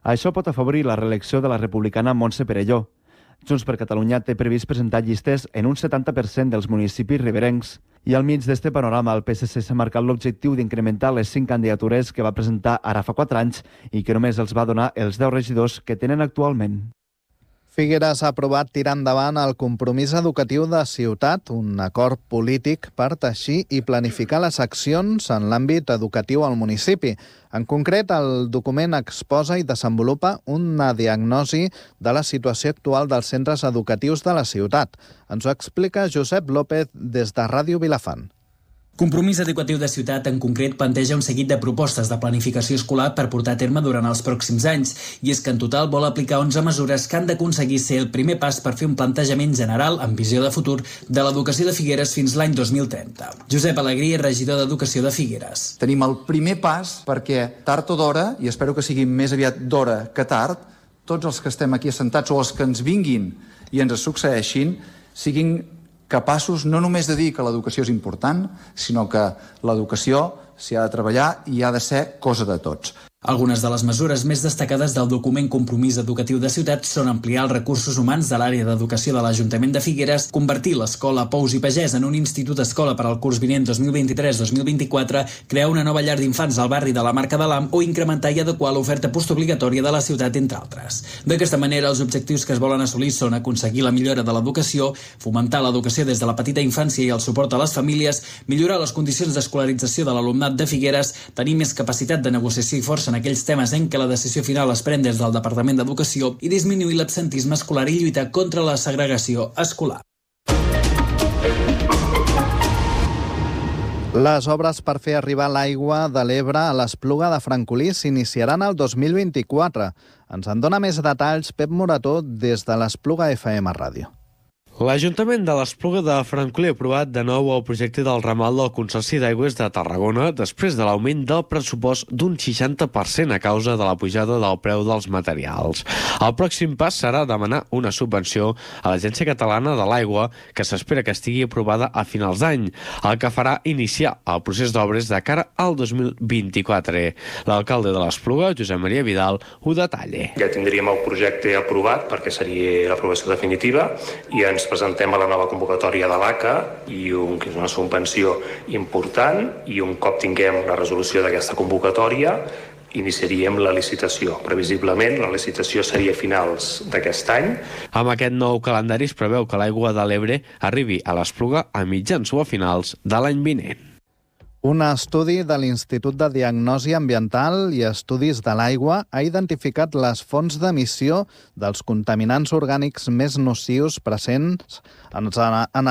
Això pot afavorir la reelecció de la republicana Montse Perelló. Junts per Catalunya té previst presentar llistes en un 70% dels municipis riberencs. I al mig d'este panorama, el PSC s'ha marcat l'objectiu d'incrementar les 5 candidatures que va presentar ara fa 4 anys i que només els va donar els 10 regidors que tenen actualment. Figueres ha aprovat tirar endavant el compromís educatiu de ciutat, un acord polític per teixir i planificar les accions en l'àmbit educatiu al municipi. En concret, el document exposa i desenvolupa una diagnosi de la situació actual dels centres educatius de la ciutat. Ens ho explica Josep López des de Ràdio Vilafant. Compromís Educatiu de Ciutat en concret planteja un seguit de propostes de planificació escolar per portar a terme durant els pròxims anys, i és que en total vol aplicar 11 mesures que han d'aconseguir ser el primer pas per fer un plantejament general amb visió de futur de l'educació de Figueres fins l'any 2030. Josep Alegrí, regidor d'Educació de Figueres. Tenim el primer pas perquè tard o d'hora, i espero que sigui més aviat d'hora que tard, tots els que estem aquí assentats o els que ens vinguin i ens succeeixin siguin capaços no només de dir que l'educació és important, sinó que l'educació s'hi ha de treballar i ha de ser cosa de tots. Algunes de les mesures més destacades del document Compromís Educatiu de Ciutat són ampliar els recursos humans de l'àrea d'educació de l'Ajuntament de Figueres, convertir l'escola Pous i Pagès en un institut escola per al curs vinent 2023-2024, crear una nova llar d'infants al barri de la Marca de l'Am o incrementar i adequar l'oferta postobligatòria de la ciutat, entre altres. D'aquesta manera, els objectius que es volen assolir són aconseguir la millora de l'educació, fomentar l'educació des de la petita infància i el suport a les famílies, millorar les condicions d'escolarització de l'alumnat de Figueres, tenir més capacitat de negociació i força en aquells temes en què la decisió final es pren des del Departament d'Educació i disminuir l'absentisme escolar i lluitar contra la segregació escolar. Les obres per fer arribar l'aigua de l'Ebre a l'Espluga de Francolí s'iniciaran el 2024. Ens en dona més detalls Pep Morató des de l'Espluga FM Ràdio. L'Ajuntament de l'Espluga de Francolí ha aprovat de nou el projecte del ramal del Consorci d'Aigües de Tarragona després de l'augment del pressupost d'un 60% a causa de la pujada del preu dels materials. El pròxim pas serà demanar una subvenció a l'Agència Catalana de l'Aigua, que s'espera que estigui aprovada a finals d'any, el que farà iniciar el procés d'obres de cara al 2024. L'alcalde de l'Espluga, Josep Maria Vidal, ho detalla. Ja tindríem el projecte aprovat perquè seria l'aprovació definitiva i ens presentem a la nova convocatòria de l'ACA i una subvenció important, i un cop tinguem la resolució d'aquesta convocatòria iniciaríem la licitació. Previsiblement la licitació seria a finals d'aquest any. Amb aquest nou calendari es preveu que l'aigua de l'Ebre arribi a l'Espluga a mitjans o a finals de l'any vinent. Un estudi de l'Institut de Diagnosi Ambiental i Estudis de l'Aigua ha identificat les fonts d'emissió dels contaminants orgànics més nocius presents en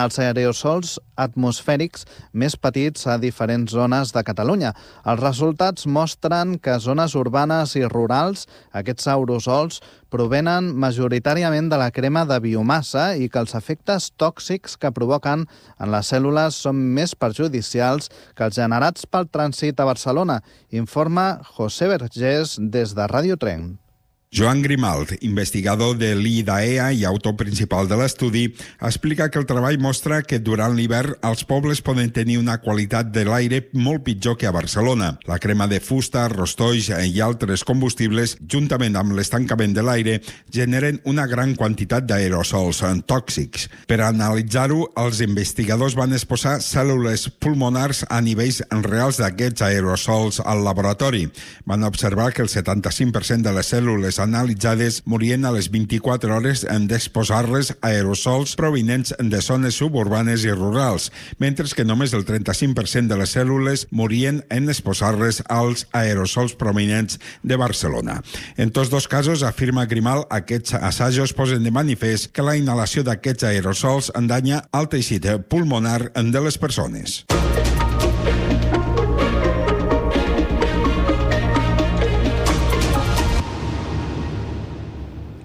els aerosols atmosfèrics més petits a diferents zones de Catalunya. Els resultats mostren que a zones urbanes i rurals aquests aerosols provenen majoritàriament de la crema de biomassa i que els efectes tòxics que provoquen en les cèl·lules són més perjudicials que els generats pel trànsit a Barcelona, informa José Vergés des de Ràdio Tren. Joan Grimalt, investigador de l'IDAEA i autor principal de l'estudi, explica que el treball mostra que durant l'hivern els pobles poden tenir una qualitat de l'aire molt pitjor que a Barcelona. La crema de fusta, rostolls i altres combustibles, juntament amb l'estancament de l'aire, generen una gran quantitat d'aerosols tòxics. Per analitzar-ho, els investigadors van exposar cèl·lules pulmonars a nivells reals d'aquests aerosols al laboratori. Van observar que el 75% de les cèl·lules analitzades morien a les 24 hores en d'exposar-les a aerosols provinents de zones suburbanes i rurals, mentre que només el 35% de les cèl·lules morien en exposar-les als aerosols provinents de Barcelona. En tots dos casos, afirma Grimal, aquests assajos posen de manifest que la inhalació d'aquests aerosols endanya el teixit pulmonar de les persones.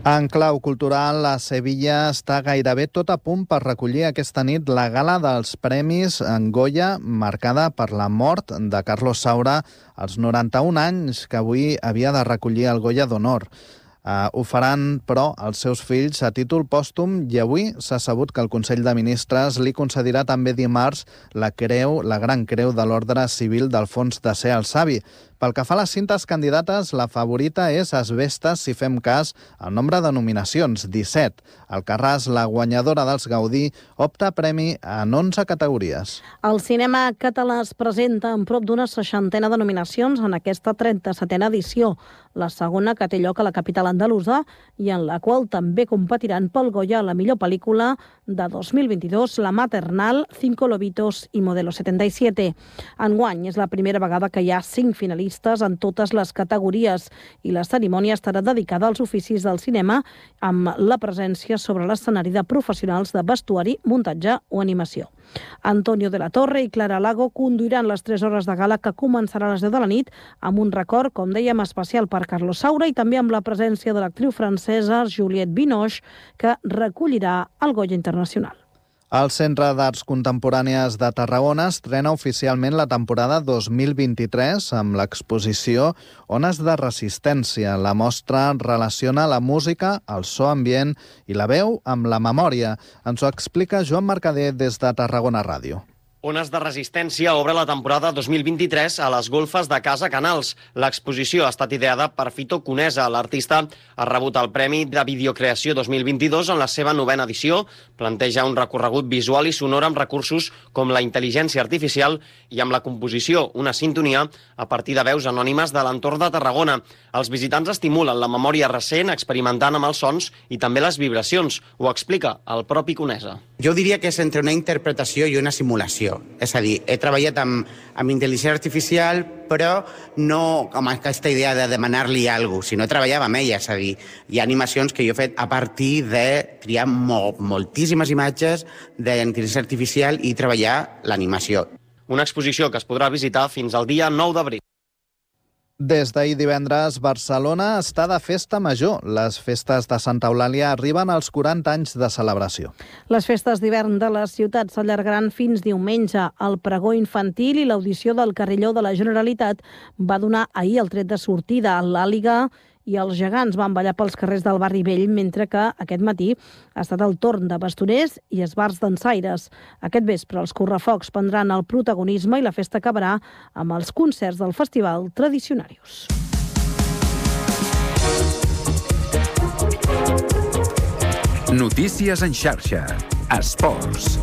En clau cultural, a Sevilla està gairebé tot a punt per recollir aquesta nit la gala dels Premis en Goya, marcada per la mort de Carlos Saura als 91 anys, que avui havia de recollir el Goya d'Honor. Ho faran, però, els seus fills a títol pòstum, i avui s'ha sabut que el Consell de Ministres li concedirà també dimarts la Gran Creu de l'Ordre Civil d'Alfons X el Savi. Pel que fa a les cintes candidates, la favorita és Asbestes, si fem cas, el nombre de nominacions, 17. Alcarràs, la guanyadora dels Gaudí, opta a premi en 11 categories. El cinema català es presenta amb prop d'una 60ena de nominacions en aquesta 37a edició, la segona que té lloc a la capital andalusa i en la qual també competiran pel Goya la millor pel·lícula de 2022, La Maternal, Cinco Lobitos i Modelo 77. Enguany és la primera vegada que hi ha 5 finalistes finalistes en totes les categories i la cerimònia estarà dedicada als oficis del cinema amb la presència sobre l'escenari de professionals de vestuari, muntatge o animació. Antonio de la Torre i Clara Lago conduiran les 3 hores de gala que començarà a les 10 de la nit amb un record, com dèiem, especial per Carlos Saura i també amb la presència de l'actriu francesa Juliette Binoche, que recollirà el Goya Internacional. El Centre d'Arts Contemporànies de Tarragona estrena oficialment la temporada 2023 amb l'exposició Ones de Resistència. La mostra relaciona la música, el so ambient i la veu amb la memòria. Ens ho explica Joan Mercader des de Tarragona Ràdio. Ones de Resistència obre la temporada 2023 a les golfes de Casa Canals. L'exposició ha estat ideada per Fito Conesa. L'artista ha rebut el Premi de Videocreació 2022 en la seva 9ª edició. Planteja un recorregut visual i sonor amb recursos com la intel·ligència artificial i amb la composició, una sintonia a partir de veus anònimes de l'entorn de Tarragona. Els visitants estimulen la memòria recent experimentant amb els sons i també les vibracions. Ho explica el propi Conesa. Jo diria que és entre una interpretació i una simulació. És a dir, he treballat amb intel·ligència artificial, però no amb aquesta idea de demanar-li alguna cosa, sinó treballava amb ella. És a dir, hi ha animacions que jo he fet a partir de triar moltíssimes imatges d'intel·ligència artificial i treballar l'animació. Una exposició que es podrà visitar fins al dia 9 d'abril. Des d'ahir divendres, Barcelona està de festa major. Les festes de Santa Eulàlia arriben als 40 anys de celebració. Les festes d'hivern de la ciutat s'allargaran fins diumenge. El pregó infantil i l'audició del carrilló de la Generalitat va donar ahir el tret de sortida. L'Àliga i els gegants van ballar pels carrers del barri vell, mentre que aquest matí ha estat el torn de bastoners i esbarts dansaires. Aquest vespre els correfocs prendran el protagonisme i la festa acabarà amb els concerts del festival Tradicionarius. Notícies en xarxa. Esports.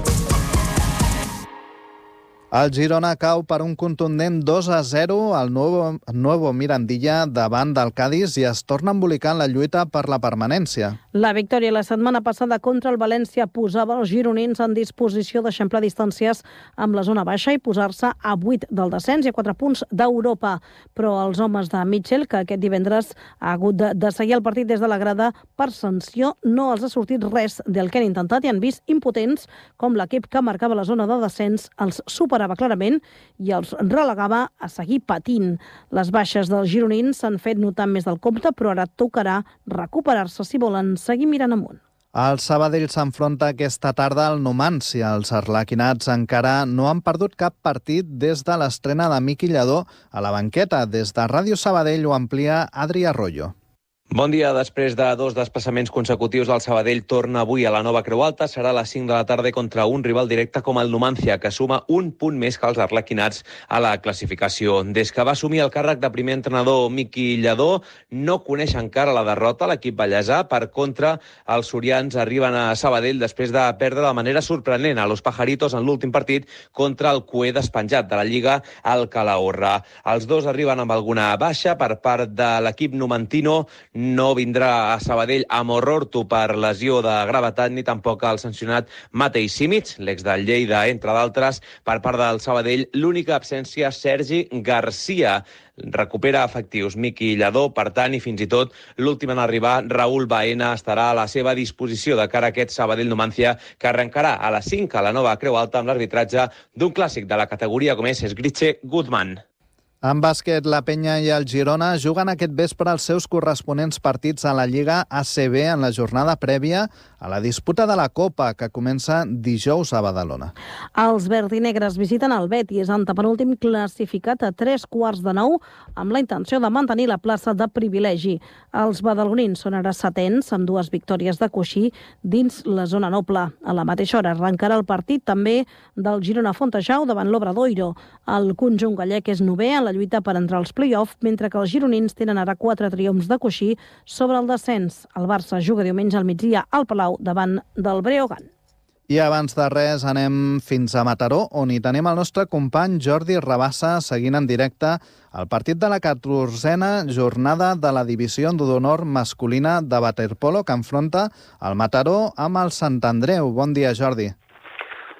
El Girona cau per un contundent 2-0 al Nuevo Mirandilla davant del Cádiz i es torna a embolicar en la lluita per la permanència. La victòria la setmana passada contra el València posava els gironins en disposició d'eixamplar distàncies amb la zona baixa i posar-se a 8 del descens i a 4 punts d'Europa. Però els homes de Mitchell, que aquest divendres ha hagut de seguir el partit des de la grada per sanció, no els ha sortit res del que han intentat i han vist impotents com l'equip que marcava la zona de descens els superava clarament i els relegava a seguir patint. Les baixes dels gironins s'han fet notar més del compte, però ara tocarà recuperar-se si volen seguir mirant amunt. El Sabadell s'enfronta aquesta tarda al Numancia. Els arlequinats encara no han perdut cap partit des de l'estrena de Miqui Lladó a la banqueta. Des de Ràdio Sabadell ho amplia Adri Arroyo. Bon dia. Després de 2 desplaçaments consecutius, el Sabadell torna avui a la Nova Creu Alta. Serà a les 5 de la tarda contra un rival directe com el Numancia, que suma un punt més que els arlequinats a la classificació. Des que va assumir el càrrec de primer entrenador Miqui Lladó, no coneix encara la derrota l'equip ballesà. Per contra, els sorians arriben a Sabadell després de perdre de manera sorprenent a los Pajaritos en l'últim partit contra el cuer despenjat de la Lliga, el Calahorra. Els dos arriben amb alguna baixa per part de l'equip numantino. No vindrà a Sabadell Amororto per lesió de gravetat, ni tampoc el sancionat Matei Simic, l'ex del Lleida, entre d'altres. Per part del Sabadell, l'única absència, Sergi Garcia. Recupera efectius Miqui Lladó, per tant, i fins i tot l'últim en arribar, Raúl Baena, estarà a la seva disposició de cara a aquest Sabadell-Numancia, que arrencarà a les 5 a la Nova Creu Alta amb l'arbitratge d'un clàssic de la categoria com és Esgritxe Guzmán. En bàsquet, la Penya i el Girona juguen aquest vespre els seus corresponents partits a la Lliga ACB en la jornada prèvia a la disputa de la Copa, que comença dijous a Badalona. Els verdinegres visiten el Betis, antepenúltim classificat a 8:45, amb la intenció de mantenir la plaça de privilegi. Els badalonins són ara setens, amb 2 victòries de coixí dins la zona noble. A la mateixa hora arrencarà el partit també del Girona Fontejau davant l'Obradoiro. El conjunt gallec és 9è en la lluita per entrar als play-off, mentre que els gironins tenen ara 4 triomfs de coixí sobre el descens. El Barça juga diumenge al migdia al Palau davant del Breogán. I abans de res anem fins a Mataró, on hi tenim el nostre company Jordi Rabassa seguint en directe el partit de la 14a jornada de la divisió d'honor masculina de waterpolo que enfronta el Mataró amb el Sant Andreu. Bon dia, Jordi.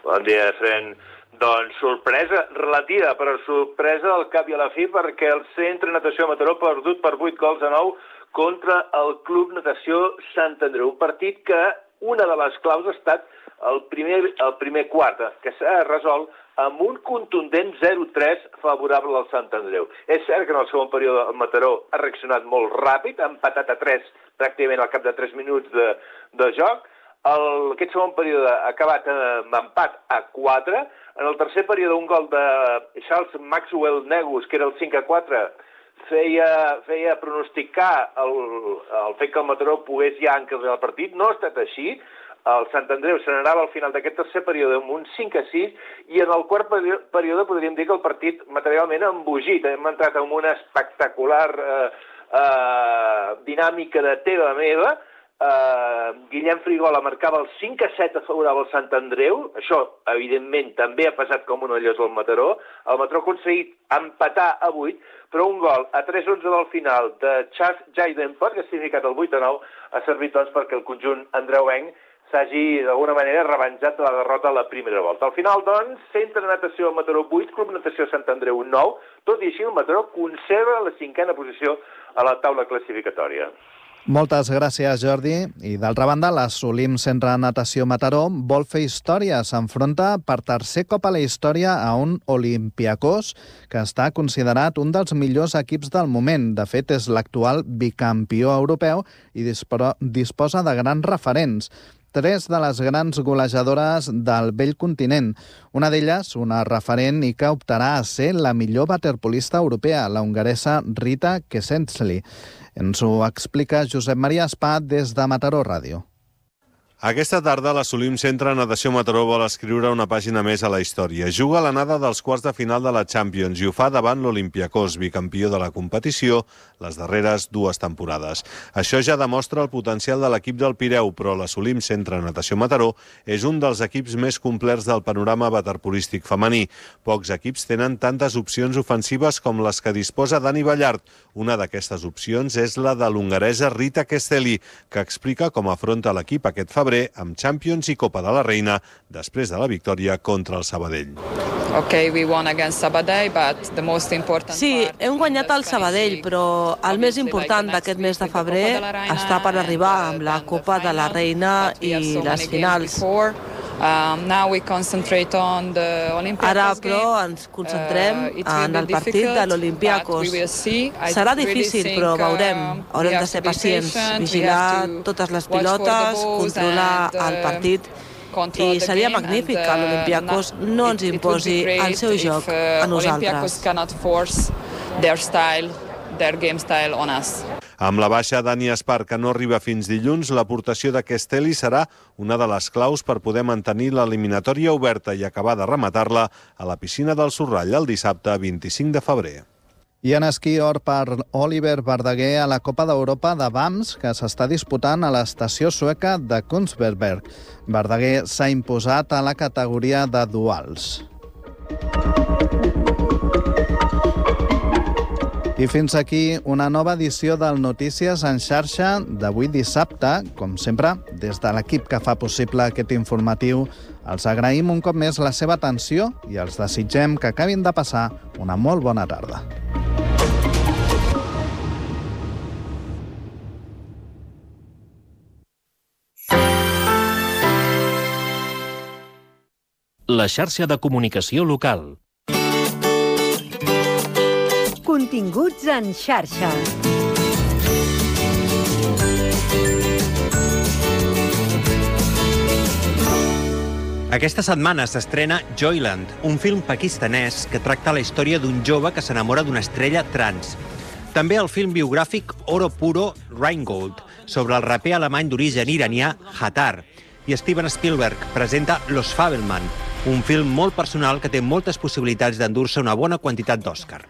Bon dia, Fren. Doncs sorpresa relativa, però sorpresa al cap i a la fi, perquè el Centre Natació Mataró ha perdut per 8-9 contra el Club Natació Sant Andreu. Un partit que una de les claus ha estat el primer quart, que s'ha resolt amb un contundent 0-3 favorable al Sant Andreu. És cert que en el segon període el Mataró ha reaccionat molt ràpid, ha empatat a 3 pràcticament al cap de 3 minuts de joc. Aquest segon període ha acabat amb empat a 4. En el tercer període un gol de Charles Maxwell Negus, que era el 5-4, feia pronosticar el fet que el Mataró pogués ja encarregar el partit. No ha estat així. El Sant Andreu se n'anava al final d'aquest tercer període amb un 5-6 i en el quart període podríem dir que el partit materialment ha embogit. Hem entrat en una espectacular dinàmica de teva meva. Guillem Frigola marcava el 5-7 a favorable al Sant Andreu. Això, evidentment, també ha passat com una llosa al Mataró. El Mataró ha aconseguit empatar a 8, però un gol a 3-11 del final de Charles Jaidenport, que ha significat el 8-9, ha servit doncs perquè el conjunt andreuenc s'hagi d'alguna manera revenjat de la derrota a la primera volta. Al final, doncs, Centre Natació Mataró 8, Club Natació Sant Andreu 9, tot i així el Mataró conserva la 5a posició a la taula classificatòria. Moltes gràcies, Jordi. I d'altra banda, l'Assolim Centre Natació Mataró vol fer història. S'enfronta per tercer cop a la història a un Olympiacos que està considerat un dels millors equips del moment. De fet, és l'actual bicampió europeu i disposa de grans referents. 3 de les grans golejadores del vell continent. Una d'elles, una referent i que optarà a ser la millor waterpolista europea, la hongaresa Rita Kesensli. Ens ho explica Josep Maria Espà des de Mataró Ràdio. Aquesta tarda l'Assolim Centre Natació Mataró vol escriure una pàgina més a la història. Juga a l'anada dels quarts de final de la Champions i ho fa davant l'Olympiacos, bicampió de la competició les darreres 2 temporades. Això ja demostra el potencial de l'equip del Pireu, però l'Assolim Centre Natació Mataró és un dels equips més complets del panorama waterpolístic femení. Pocs equips tenen tantes opcions ofensives com les que disposa Dani Ballart. Una d'aquestes opcions és la de l'hongaresa Rita Kesensli, que explica com afronta l'equip aquest febrer amb Champions i Copa de la Reina després de la victòria contra el Sabadell. Sí, hem guanyat el Sabadell, però el més important d'aquest mes de febrer està per arribar amb la Copa de la Reina i les finals. Ara, però, ens concentrem en el partit de l'Olympiacos. Serà difícil, però veurem. Haurem de ser pacients, vigilar totes les pilotes, controlar el partit. I seria magnífic que l'Olympiacos no ens imposi el seu joc a nosaltres. Amb la baixa Dani Espar, que no arriba fins dilluns, l'aportació de Kesensli serà una de les claus per poder mantenir l'eliminatòria oberta i acabar de rematar-la a la piscina del Sorrall el dissabte 25 de febrer. I en esquí or per Oliver Verdaguer a la Copa d'Europa de BAMS, que s'està disputant a l'estació sueca de Kunstberg. Verdaguer s'ha imposat a la categoria de duals. I fins aquí una nova edició del Notícies en xarxa d'avui dissabte. Com sempre, des de l'equip que fa possible aquest informatiu, els agraïm un cop més la seva atenció i els desitgem que acabin de passar una molt bona tarda. La xarxa de comunicació local. Continguts en xarxa. Aquesta setmana s'estrena Joyland, un film pakistanès que tracta la història d'un jove que s'enamora d'una estrella trans. També el film biogràfic Oro Puro Rheingold, sobre el raper alemany d'origen iranià Hatar. I Steven Spielberg presenta Los Fabelman, un film molt personal que té moltes possibilitats d'endur-se una bona quantitat d'Oscar.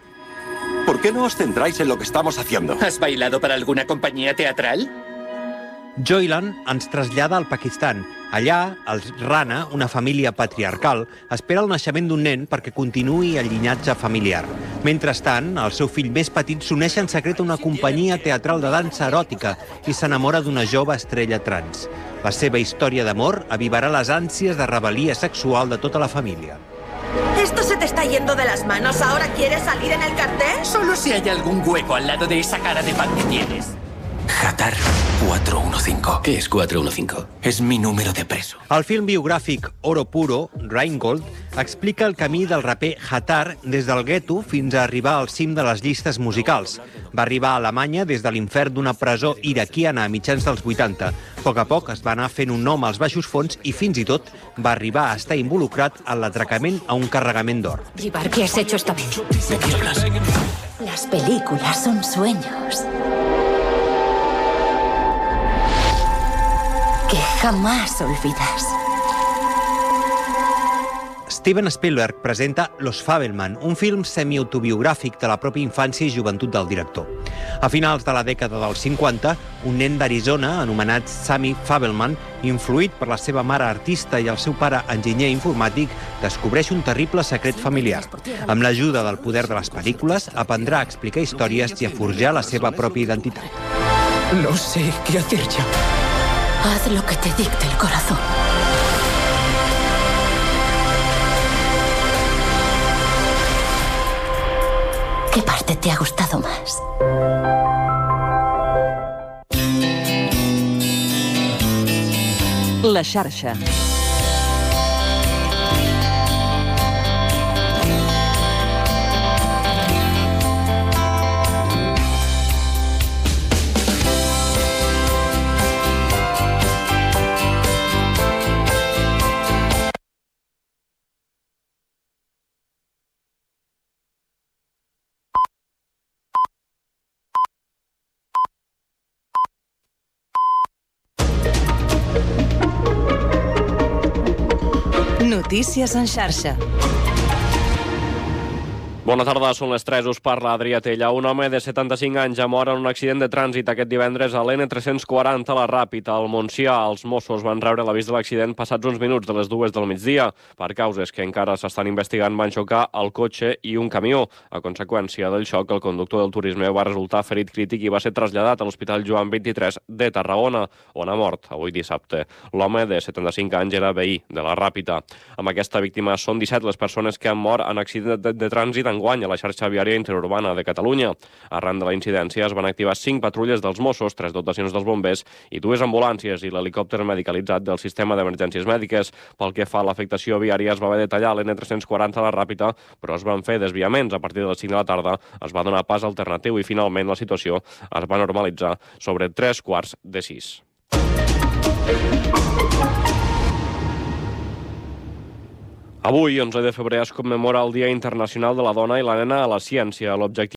¿Por qué no os centráis en lo que estamos haciendo? ¿Has bailado para alguna compañía teatral? Joyland ens trasllada al Pakistan. Allà, els Rana, una família patriarcal, espera el naixement d'un nen perquè continuï el llinatge familiar. Mentrestant, el seu fill més petit s'uneix en secret a una companyia teatral de dansa eròtica i s'enamora d'una jove estrella trans. La seva història d'amor avivarà les ànsies de rebel·lia sexual de tota la família. se te está yendo de las manos? ¿Ahora quieres salir en el cartel? Solo si hay algún hueco al lado de esa cara de pan que tienes. Hatar 415. ¿Qué es 415? És mi número de preso. El film biogràfic Oro Puro, Rheingold, explica el camí del raper Hatar des del gueto fins a arribar al cim de les llistes musicals. Va arribar a Alemanya des de l'infern d'una presó iraquiana a mitjans dels 80. A poc es va anar fent un nom als baixos fons i fins i tot va arribar a estar involucrat en l'atracament a un carregament d'or. Jivar, ¿qué has hecho esta vez? ¿De qué hablas? Las películas son sueños que jamás olvidas. Steven Spielberg presenta Los Fabelman, un film semi-autobiogràfic de la pròpia infància i joventut del director. A finals de la dècada dels 50, un nen d'Arizona, anomenat Sammy Fabelman, influït per la seva mare artista i el seu pare enginyer informàtic, descobreix un terrible secret familiar. Amb l'ajuda del poder de les pel·lícules, aprendrà a explicar històries i a forjar la seva pròpia identitat. No sé qué hacer ya. Haz lo que te dicte el corazón. ¿Qué parte te ha gustado más? La xarxa. Notícies en xarxa. Bona tarda, són les 3, us parla Adrià Tella. Un home de 75 anys ha mort en un accident de trànsit aquest divendres a l'N340 a la Ràpita, al Montsià. Els Mossos van rebre l'avís de l'accident passats uns minuts de les 2 del migdia. Per causes que encara s'estan investigant, van xocar el cotxe i un camió. A conseqüència del xoc, el conductor del Turisme va resultar ferit crític i va ser traslladat a l'Hospital Joan 23 de Tarragona, on ha mort avui dissabte. L'home de 75 anys era veí de la Ràpita. Amb aquesta víctima són 17 les persones que han mort en accident de trànsit enguany a la xarxa viària interurbana de Catalunya. Arran de la incidència es van activar 5 patrulles dels Mossos, 3 dotacions dels bombers i 2 ambulàncies i l'helicòpter medicalitzat del sistema d'emergències mèdiques. Pel que fa a l'afectació viària, es va haver de tallar l'N340 a la Ràpita, però es van fer desviaments. A partir de les 5 de la tarda es va donar pas alternatiu i finalment la situació es va normalitzar sobre 3:45. Avui, 11 de febrer, es commemora el Dia Internacional de la Dona i la Nena a la Ciència. L'objectiu